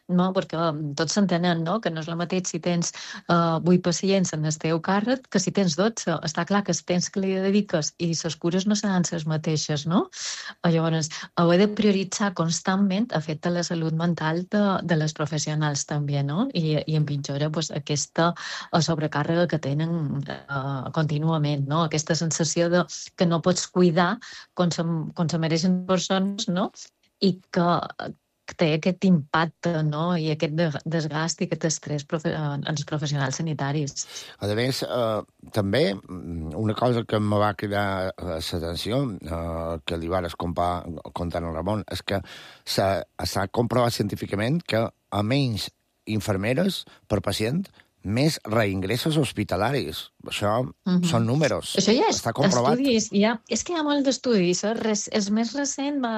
no? Perquè tots s'entenen, no? Que no és el mateix si tens uh, vuit pacients en el teu càrrec que si tens dotze. Està clar que el temps que li dediques i les cures no seran les mateixes, no? Llavors, haver de prioritzar constantment afecta la salut mental de, de les professionals també, no? I, i empitjora pues, aquesta sobrecàrrega que tenen uh, contínuament, no? Aquesta sensació de que no pots cuidar com se, com se mereixen persones, no? I que, que té aquest impacte, no? I aquest desgast i aquest estrès profe en els professionals sanitaris. A més, eh, també una cosa que em va cridar l'atenció, eh, que li vares contar a Ramon, és que s'ha comprovat científicament que a menys infermeres per pacient més reingressos hospitalaris. Això mm-hmm. són números. Això ja és està comprovat. Estudis. Ja, és que hi ha molt d'estudis. El més recent, va,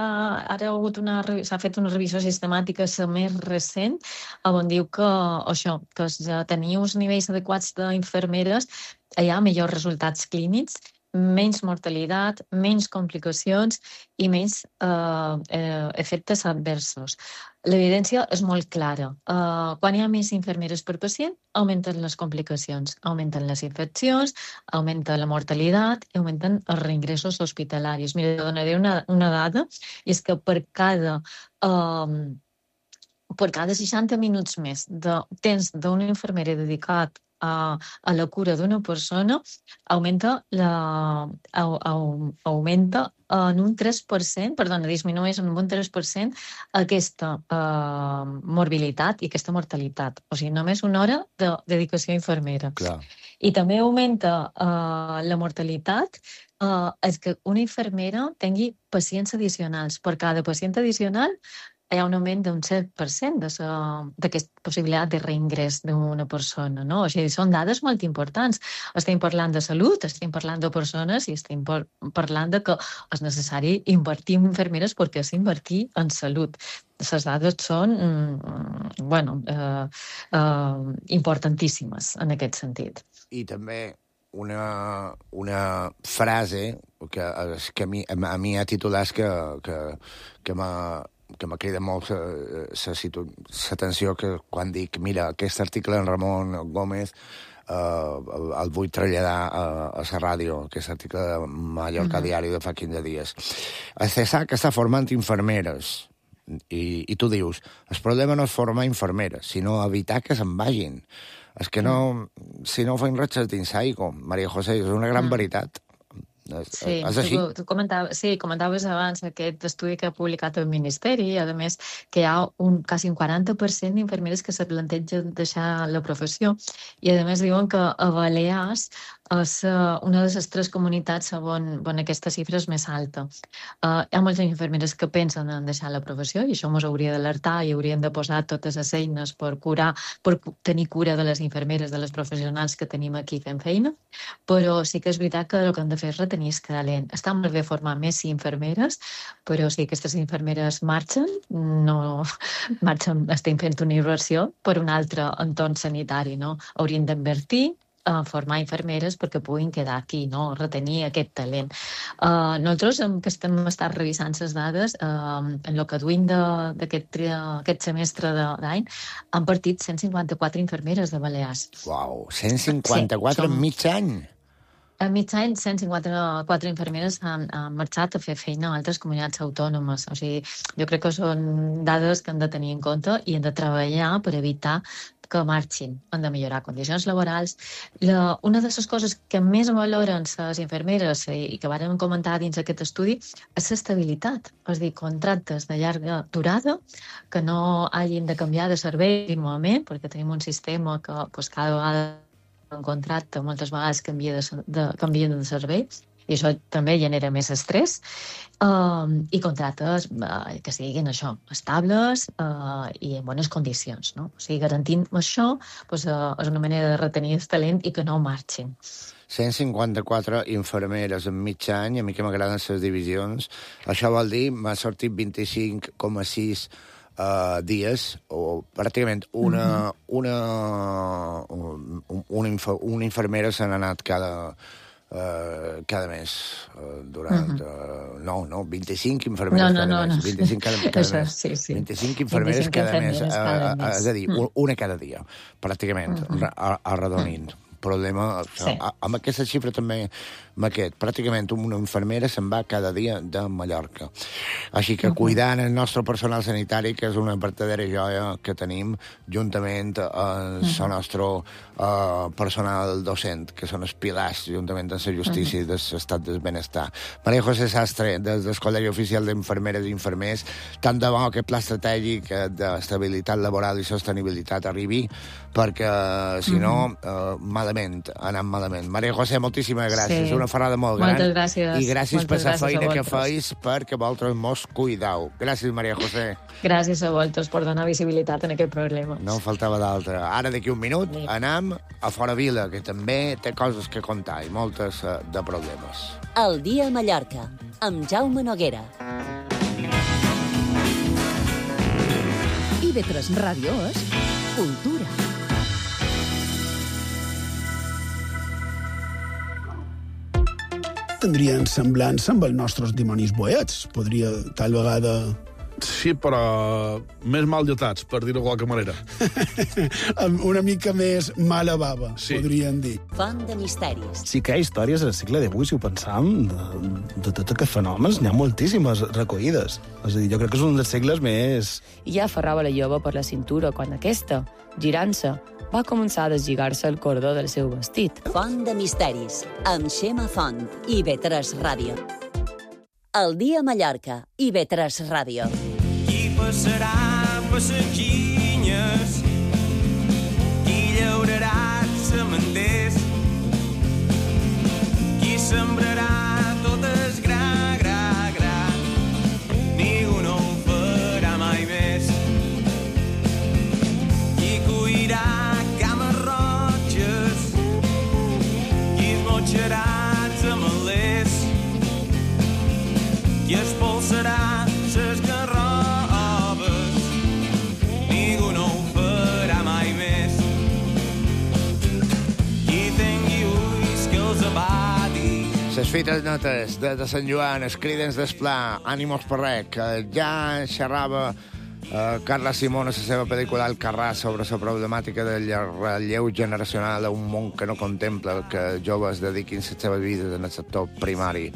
ara s'ha fet una revisió sistemàtica, el més recent, on diu que, això, que tenir uns nivells adequats d'infermeres hi ha millors resultats clínics, menys mortalitat, menys complicacions i menys eh, eh, efectes adversos. L'evidència és molt clara. Uh, quan hi ha més infermeres per pacient, augmenten les complicacions, augmenten les infeccions, augmenta la mortalitat i augmenten els reingressos hospitalaris. Mira, donaré una, una dada, i és que per cada... Uh, per cada seixanta minuts més de temps d'una infermera dedicat a, a la cura d'una persona, augmenta, la, au, au, augmenta en un tres per cent, perdona, disminueix en un tres per cent aquesta uh, morbilitat i aquesta mortalitat. O sigui, només una hora de dedicació a infermera. Clar. I també augmenta uh, la mortalitat uh, és que una infermera tingui pacients addicionals. Per cada pacient addicional hi ha un augment d'un set per cent d'aquesta possibilitat de reingrés d'una persona, no? O sigui, són dades molt importants. Estem parlant de salut, estem parlant de persones i estem par parlant de que és necessari invertir en infermeres perquè és invertir en salut. Les dades són, mm, bueno, eh, eh, importantíssimes en aquest sentit. I també una, una frase que, que a mi, a mi ha titulat que, que, que m'ha que m'ha cridat molt l'atenció que quan dic, mira, aquest article en Ramon Gómez eh, el vull traslladar a, a la ràdio, aquest article de Mallorca uh-huh. Diari de fa quinze dies. El C S A que està formant infermeres i, i tu dius, el problema no és formar infermeres, sinó evitar que se'n vagin. És que no, si no feim res dins aigua, Maria José, és una gran uh-huh. veritat. Sí, és així? tu, tu comentaves, sí, comentaves abans aquest estudi que ha publicat el Ministeri, i a més que hi ha un, quasi un quaranta per cent d'infermeres que se plantegen deixar la professió, i a més diuen que a Balears és una de les tres comunitats on, on aquesta xifra és més alta. Uh, hi ha moltes infermeres que pensen en deixar la professió i això ens hauria d'alertar i haurien de posar totes les eines per curar, per tenir cura de les infermeres, de les professionals que tenim aquí fent feina, però sí que és veritat que el que hem de fer és retenir el talent. Està molt bé formar més infermeres, però si aquestes infermeres marxen, no marxen, estem fent una inversió per un altre entorn sanitari, no? Haurien d'invertir a formar infermeres perquè puguin quedar aquí, no? Retenir aquest talent. Uh, nosaltres, que estem estat revisant les dades, uh, en el que duim d'aquest aquest semestre d'any, han partit cent cinquanta-quatre infermeres de Balears. Uau, cent cinquanta-quatre en mig any? A mig any, cent cinquanta-quatre infermeres han, han marxat a fer feina a altres comunitats autònomes. O sigui, jo crec que són dades que hem de tenir en compte i hem de treballar per evitar que marxin. Hem de millorar condicions laborals. La, una de les coses que més valoren les infermeres i que vàrem comentar dins aquest estudi és l'estabilitat. És a dir, contractes de llarga durada que no hagin de canviar de servei continuament, perquè tenim un sistema que pues, cada vegada un contracte moltes vegades canvia de, de, canvien de servei i això també genera més estrès uh, i contractes uh, que siguin això, estables uh, i en bones condicions, no? O sigui, garantint això pues, uh, és una manera de retenir el talent i que no marxin. cent cinquanta-quatre infermeres en mig any, a mi que m'agraden les divisions. Això vol dir, m'ha sortit vint-i-cinc coma sis Uh, dies, o pràcticament una, uh-huh. una, un, una, inf una infermera se n'ha anat cada, uh, cada mes. Uh, durant, uh-huh. uh, no, no, vint-i-cinc infermeres no, no, cada no, mes. No. vint-i-cinc cada, cada Això, mes. sí, sí. vint-i-cinc infermeres vint-i-cinc cada mes. infermeres cada uh, mes. És a dir, uh-huh. una cada dia, pràcticament, uh-huh. arredonint. Uh-huh. Problema, sí. Amb aquesta xifra també, amb aquest, pràcticament una infermera se'n va cada dia de Mallorca. Així que cuidant el nostre personal sanitari, que és una vertadera joia que tenim, juntament amb el nostre uh, personal docent, que són els pilars, juntament amb la justícia i l'estat del benestar. Maria José Sastre, des del Col·legi Oficial d'Infermeres i Infermers, tant de bo aquest pla estratègic d'estabilitat laboral i sostenibilitat arribi, perquè, si no, uh, malament, anant malament. Maria José, moltíssimes gràcies. Sí. Una ferrada molt gran. Moltes gràcies. I gràcies Moltes per la gràcies feina que feis perquè vosaltres mos cuidau. Gràcies, Maria José. Gràcies a vosaltres per donar visibilitat en aquest problema. No faltava d'altra. Ara, d'aquí un minut, sí. anem a Fora Vila, que també té coses que contar i moltes uh, de problemes. El dia a Mallorca, amb Jaume Noguera. I ve tres Ràdio és cultura. Tindrien semblança amb els nostres dimonis boets. Podria, tal vegada... Sí, però més mal lletats, per dir-ho de qualque manera. Una mica més mala bava, sí. Podríem dir. Font de misteris. Sí que hi ha històries al segle divuit, si ho pensam, de, de tots aquests fenòmens. N'hi ha moltíssimes recollides. És a dir, jo crec que és un dels segles més... I ja aferrava la jove per la cintura quan aquesta, girant-se, va començar a deslligar-se el cordó del seu vestit. Font de misteris, amb Xema Font i B tres Ràdio. El dia a Mallorca i B tres Ràdio. Qui passarà passatginyes, qui llaurarà semenders, qui sembrarà tot es gra, gra, gra, ningú no ho farà mai més. Qui cuirà cames roges, qui es motxarà els amalers, qui expulsarà ses garrobes, ningú no ho farà mai més. Qui tingui ulls que els abati. Les fites netes de, de Sant Joan, els cridens d'esplà, ànimos per res, que ja xerrava eh, Carla Simón a la seva pel·lícula Alcarràs sobre la problemàtica del relleu generacional a un món que no contempla que joves dediquin la seva vida en el sector primari.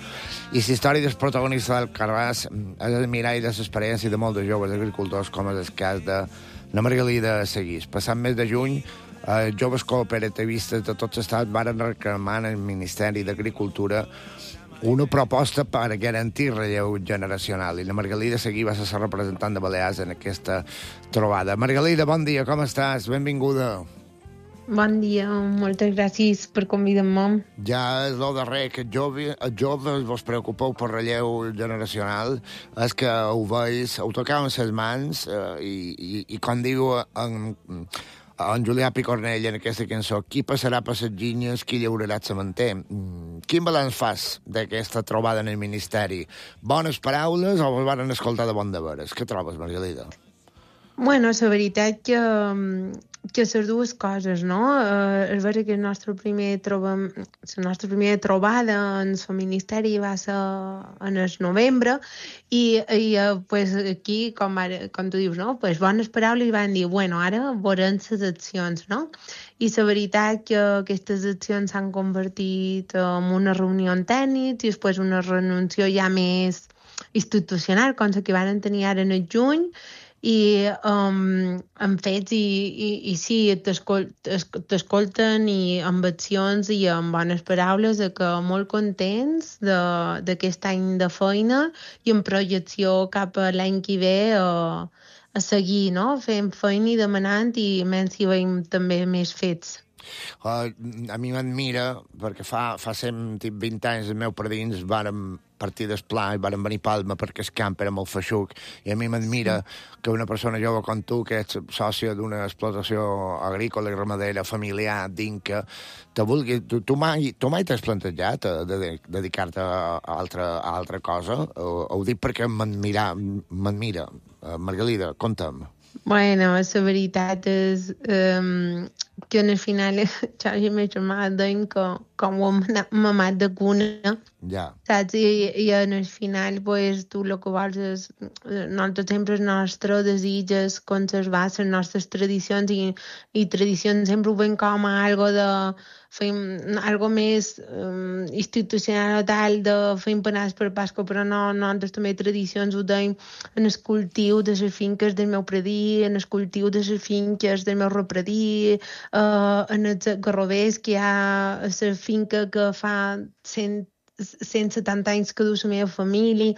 I la història dels protagonistes d'Alcarràs és el mirall de l'experiència de molts joves agricultors, com és el cas de la Margalida Seguís. Passant mes de juny, Eh, joves cooperativistes de tot l'estat varen reclamar al Ministeri d'Agricultura una proposta per garantir relleu generacional, i la Margalida Seguí va ser la representant de Balears en aquesta trobada. Margalida, bon dia, com estàs? Benvinguda. Bon dia, moltes gràcies per convidar-me. Ja és el darrer que joves, joves vos preocupeu per relleu generacional, és que ho veus, ho tocau en ses mans, eh, i, i, i com diu en... en Julià Picornell en aquesta cançó, qui passarà per les ginyes, qui llaurarà el cementer. Quin balanç fas d'aquesta trobada en el Ministeri? Bones paraules o vos van escoltar de bon de veres? Què trobes, Margalida? Bueno, la veritat que, que les dues coses, no? Eh, és vera que el nostre primer trobam, la nostra primera trobada en el Ministeri va ser en el novembre i, i pues, aquí, com, ara, com tu dius, no? Pues, bones paraules i van dir, bueno, ara veurem les accions, no? I la veritat que aquestes accions s'han convertit en una reunió tècnica i després una renunció ja més institucional, com la que van tenir ara en el juny, i um, en fets i, i, i sí, t'escolten i amb accions i amb bones paraules, que molt contents d'aquest any de feina i en projecció cap a l'any que ve a, a seguir, no? Fent feina i demanant, i menys si veiem també més fets. Uh, a mi m'admira, perquè fa, fa cent vint anys els meus padrins varen partir d'esplà i varen venir a Palma perquè el camp era molt feixuc, i a mi m'admira sí. que una persona jove com tu, que ets sòcia d'una explotació agrícola i ramadera familiar d'Inca, te vulgui... Tu, tu mai, tu mai t'has plantejat de, de, dedicar-te a altra, a altra cosa? Ho, ho dic perquè m'admira, m'admira. Uh, Margalida, conta'm. Bueno, la veritat és um, que en el final jo i ma germana deien que com ho hem mamat de cuna, ja. Saps? I, i en el final pues, tu el que vols és, nosaltres sempre el nostre desig és conservar les nostres tradicions, i, i tradicions sempre ho veiem com a algo de fem algo més um, institucional o tal, de fer empanades per Pasqua, però no, nosaltres també tradicions ho deim en el cultiu de les finques del meu predí, en el cultiu de les finques del meu repredí, uh, en els garrovers que hi ha a la finca que fa cent cent setanta anys que du la meva família,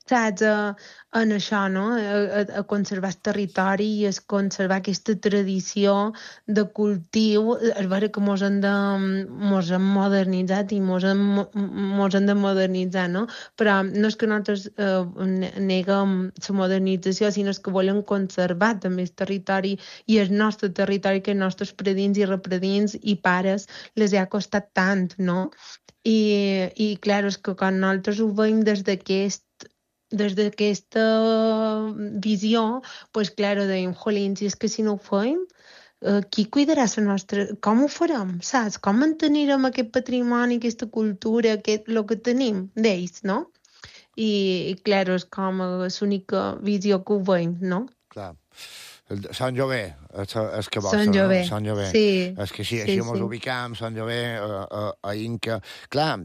saps? Uh, en això, no? A, a conservar el territori i a conservar aquesta tradició de cultiu. És vera que mos hem, de, mos hem modernitzat i mos hem, mos hem de modernitzar, no? Però no és que nosaltres eh, neguem la modernització, sinó que volem conservar també el territori i el nostre territori, que els nostres predins i repredins i pares les ha costat tant, no? I, i clar, és que quan nosaltres ho veiem des d'aquest des d'aquesta visió, pues, clar, deim, jolín, si és que si no ho fem, eh, qui cuidarà la nostra... Com ho farem, saps? Com mantenirem aquest patrimoni, aquesta cultura, aquest, el que tenim d'ells, no? I, i clar, és com l'única visió que ho veiem, no? Clar. Sant Jové, És, és que Son Jové. Son Jové. Sí. És que així, Sí, així sí. mos ubicam, Son Jové, a, a, a Inca. Clar,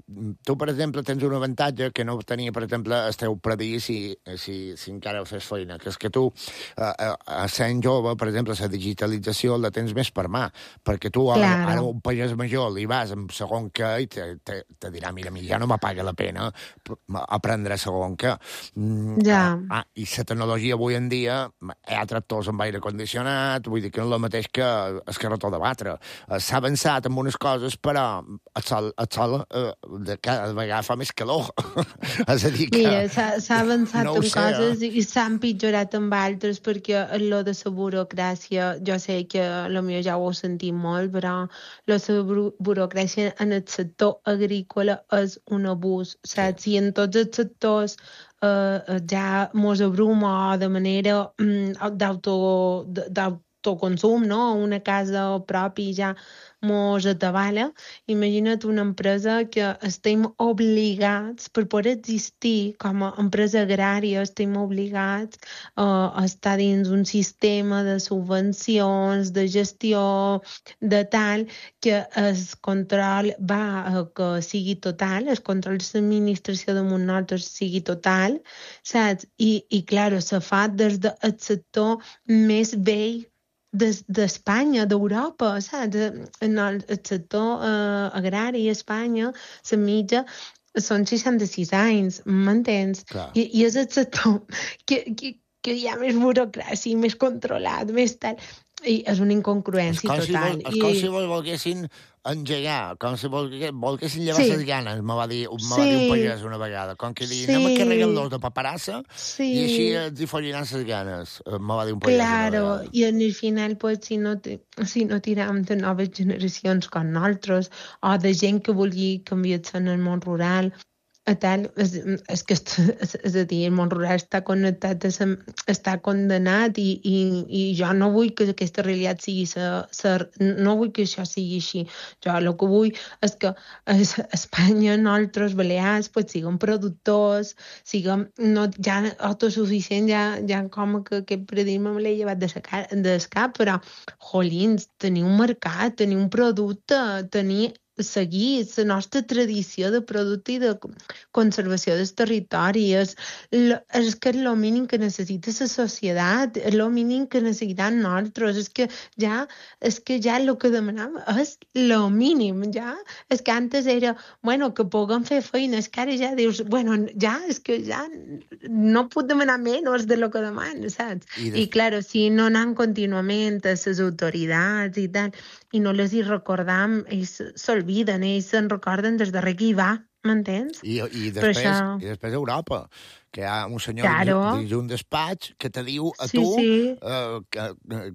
tu, per exemple, tens un avantatge que no tenia, per exemple, el teu predí si, si, si encara fes feina, que és que tu, a, a, a sent jove, per exemple, la digitalització la tens més per mà, perquè tu ara, Claro. ara un pagès major li vas amb segon què i te, te, te dirà, mira, mi ja no m'apaga la pena aprendre segon què. Mm, Ja. Ah, i la tecnologia avui en dia hi ha tractors amb aire condicionat, vull dir que no és el mateix que el carretó de batre. S'ha avançat en unes coses, però el sol, el sol eh, de cada vegada fa més calor. És a dir que... Mira, s'ha s'ha avançat no ho en sé, coses eh? i s'ha empitjorat amb altres, perquè lo de la burocràcia, jo sé que potser ja ho heu sentit molt, però la buro burocràcia en el sector agrícola és un abús, saps? I en tots els sectors eh, ja mos abruma de manera mm, d'auto d'autoconsum, no? Una casa propi ja mos atabala. Imagina't una empresa que estem obligats, per poder existir com a empresa agrària, estem obligats uh, a estar dins un sistema de subvencions, de gestió, de tal, que el control va a que sigui total, el control de l'administració damunt nosaltres sigui total, saps? I, i clar, se fa des del sector més vell d'Espanya, d'Europa, saps? En el, el sector eh, agrari a Espanya, la mitja, són seixanta-sis anys, m'entens? I, I és el sector que, que, que hi ha més burocràcia, més controlat, més tal... I és una incongruència és total. Si vol, és com si vol, volguessin engegar, com si vol, volguessin llevar Sí. les ganes, me va dir, me Sí. va dir un pagès una vegada. Com que dir, Sí. anem a carregar-los de paperassa Sí. i així els hi folliran les ganes, me va dir un pagès una Claro, vegada. i en el final, pues, si no, te, si no tiram de noves generacions com nosaltres, o de gent que vulgui canviar-se en el món rural, a tal, és, és que és, és a dir, el món rural està connectat, és, està condenat i, i, i jo no vull que aquesta realitat sigui sa, sa, no vull que això sigui així. Jo el que vull és que a Espanya, nosaltres, Balears, pues, siguem productors, siguem no, ja autosuficients, ja, ja com que aquest paradigma me l'he llevat de cap, però, jolins, tenir un mercat, tenir un producte, tenir seguir la nostra tradició de producte i de conservació del territori. És, és que és el mínim que necessita la societat, és el mínim que necessitem nosaltres. És que ja, és que ja el que demanam és el mínim, ja. És que antes era, bueno, que puguem fer feina, és que ara ja dius, bueno, ja, és que ja no puc demanar menys de lo que demano, saps? I, I, claro, si no anem contínuament a les autoritats i tal, i no les hi recordam, ells s'olviden, ells se'n recorden des darrer que hi va, m'entens? I, i, Per després, això- I després Europa, que hi ha un senyor Claro. dins d'un despatx que te diu a Sí, tu sí. eh, que, eh,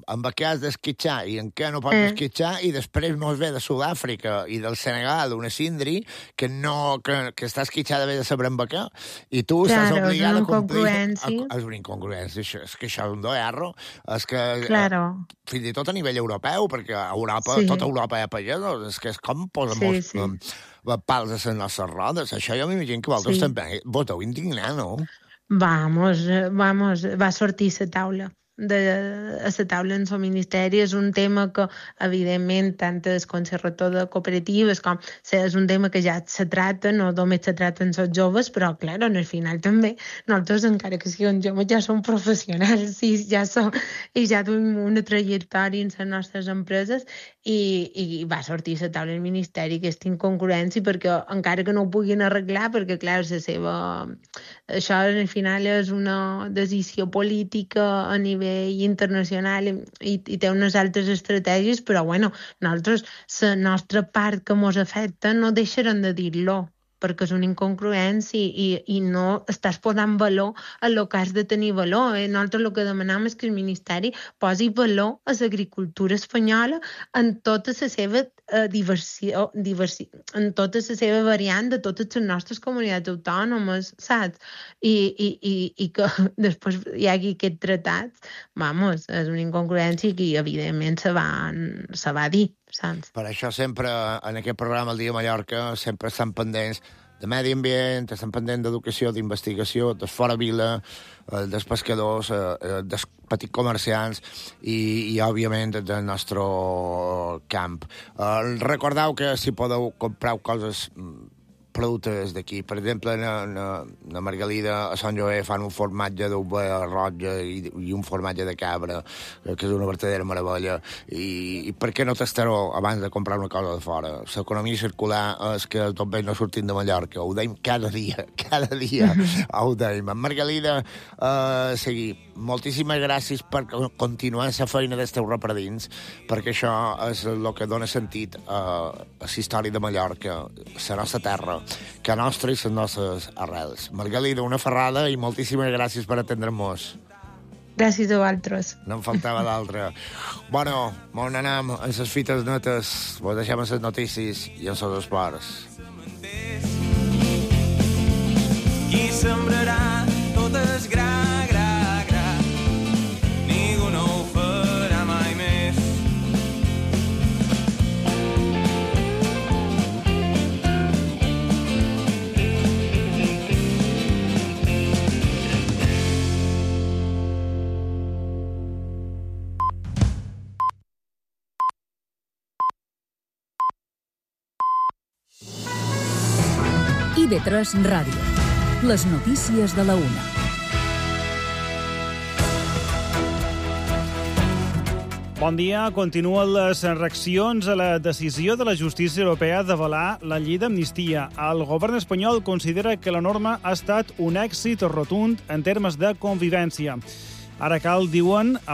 amb què has d'esquitxar i en què no pots Eh. esquitxar, i després mos ve de Sud-àfrica i del Senegal una Sindri que, no, que, que està esquitxada bé de saber amb què, i tu estàs Claro, és obligat una a complir... incongruència. A, és una incongruència, això, és que això és un doerro, és que Claro. eh, fins i tot a nivell europeu, perquè a Europa, Sí. tota Europa hi ha pagesos, és que és com posen Sí, molts, sí. eh, pals a les nostres rodes. Això jo m'imagino que vosaltres Sí. també vos deu indignar, no? Vamos, eh, vamos, va sortir la taula. De, a la taula en el Ministeri és un tema que, evidentment, tant el Consell Rector de Cooperatives com és un tema que ja se trata, no només se trata en els joves, però, clar, en el final també, nosaltres, encara que siguem joves, ja som professionals i ja, som, i ja tenim una trajectòria en les nostres empreses i, i va sortir a la taula del Ministeri aquesta incongruència perquè, encara que no ho puguin arreglar, perquè, clar, la seva... Això, al final, és una decisió política a nivell internacional i, i té unes altres estratègies, però, bueno, nosaltres, la nostra part que ens afecta, no deixarem de dir-lo, perquè és una incongruència i, i, i no estàs posant valor a el que has de tenir valor. Eh? Nosaltres el que demanem és que el Ministeri posi valor a l'agricultura espanyola en tota la seva eh, diversió, diversi, en tota la seva variant de totes les nostres comunitats autònomes, saps? I, i, i, i que després hi hagi aquest tratat, vamos, és una incongruència que evidentment se va, se va dir, saps? Per això sempre, en aquest programa, el Dia Mallorca, sempre estan pendents de medi ambient, estem pendents d'educació, d'investigació, dels fora vila, eh, dels pescadors, eh, dels petits comerciants i, i òbviament, del nostre camp. Eh, recordeu que si podeu comprar coses productes d'aquí. Per exemple, na, na, na Margalida, a Sant Joé, fan un formatge d'ovella roja i, i un formatge de cabra, que és una verdadera meravella. I, i per què no tastar-ho abans de comprar una cosa de fora? L'economia circular és que tot bé no sortim de Mallorca. Ho deim cada dia, cada dia. Ho deim. En Margalida, eh, seguir. Moltíssimes gràcies per continuar la feina dels teus repredins, perquè això és el que dona sentit a, a la història de Mallorca, la nostra terra, que nostra i les nostres arrels. Margalida, una ferrada i moltíssimes gràcies per atendre-nos. Gràcies a vosaltres. No em faltava d'altra. Bueno, on anem en les fites netes, vos deixem en les notícies i en els esports. Qui sembrarà tot és gra, gra, gra. Ningú no ho farà mai més. I V tres Ràdio. Les notícies de la una. Bon dia. Continuen les reaccions a la decisió de la justícia europea d'avalar la llei d'amnistia. El govern espanyol considera que la norma ha estat un èxit rotund en termes de convivència. Ara cal, diuen,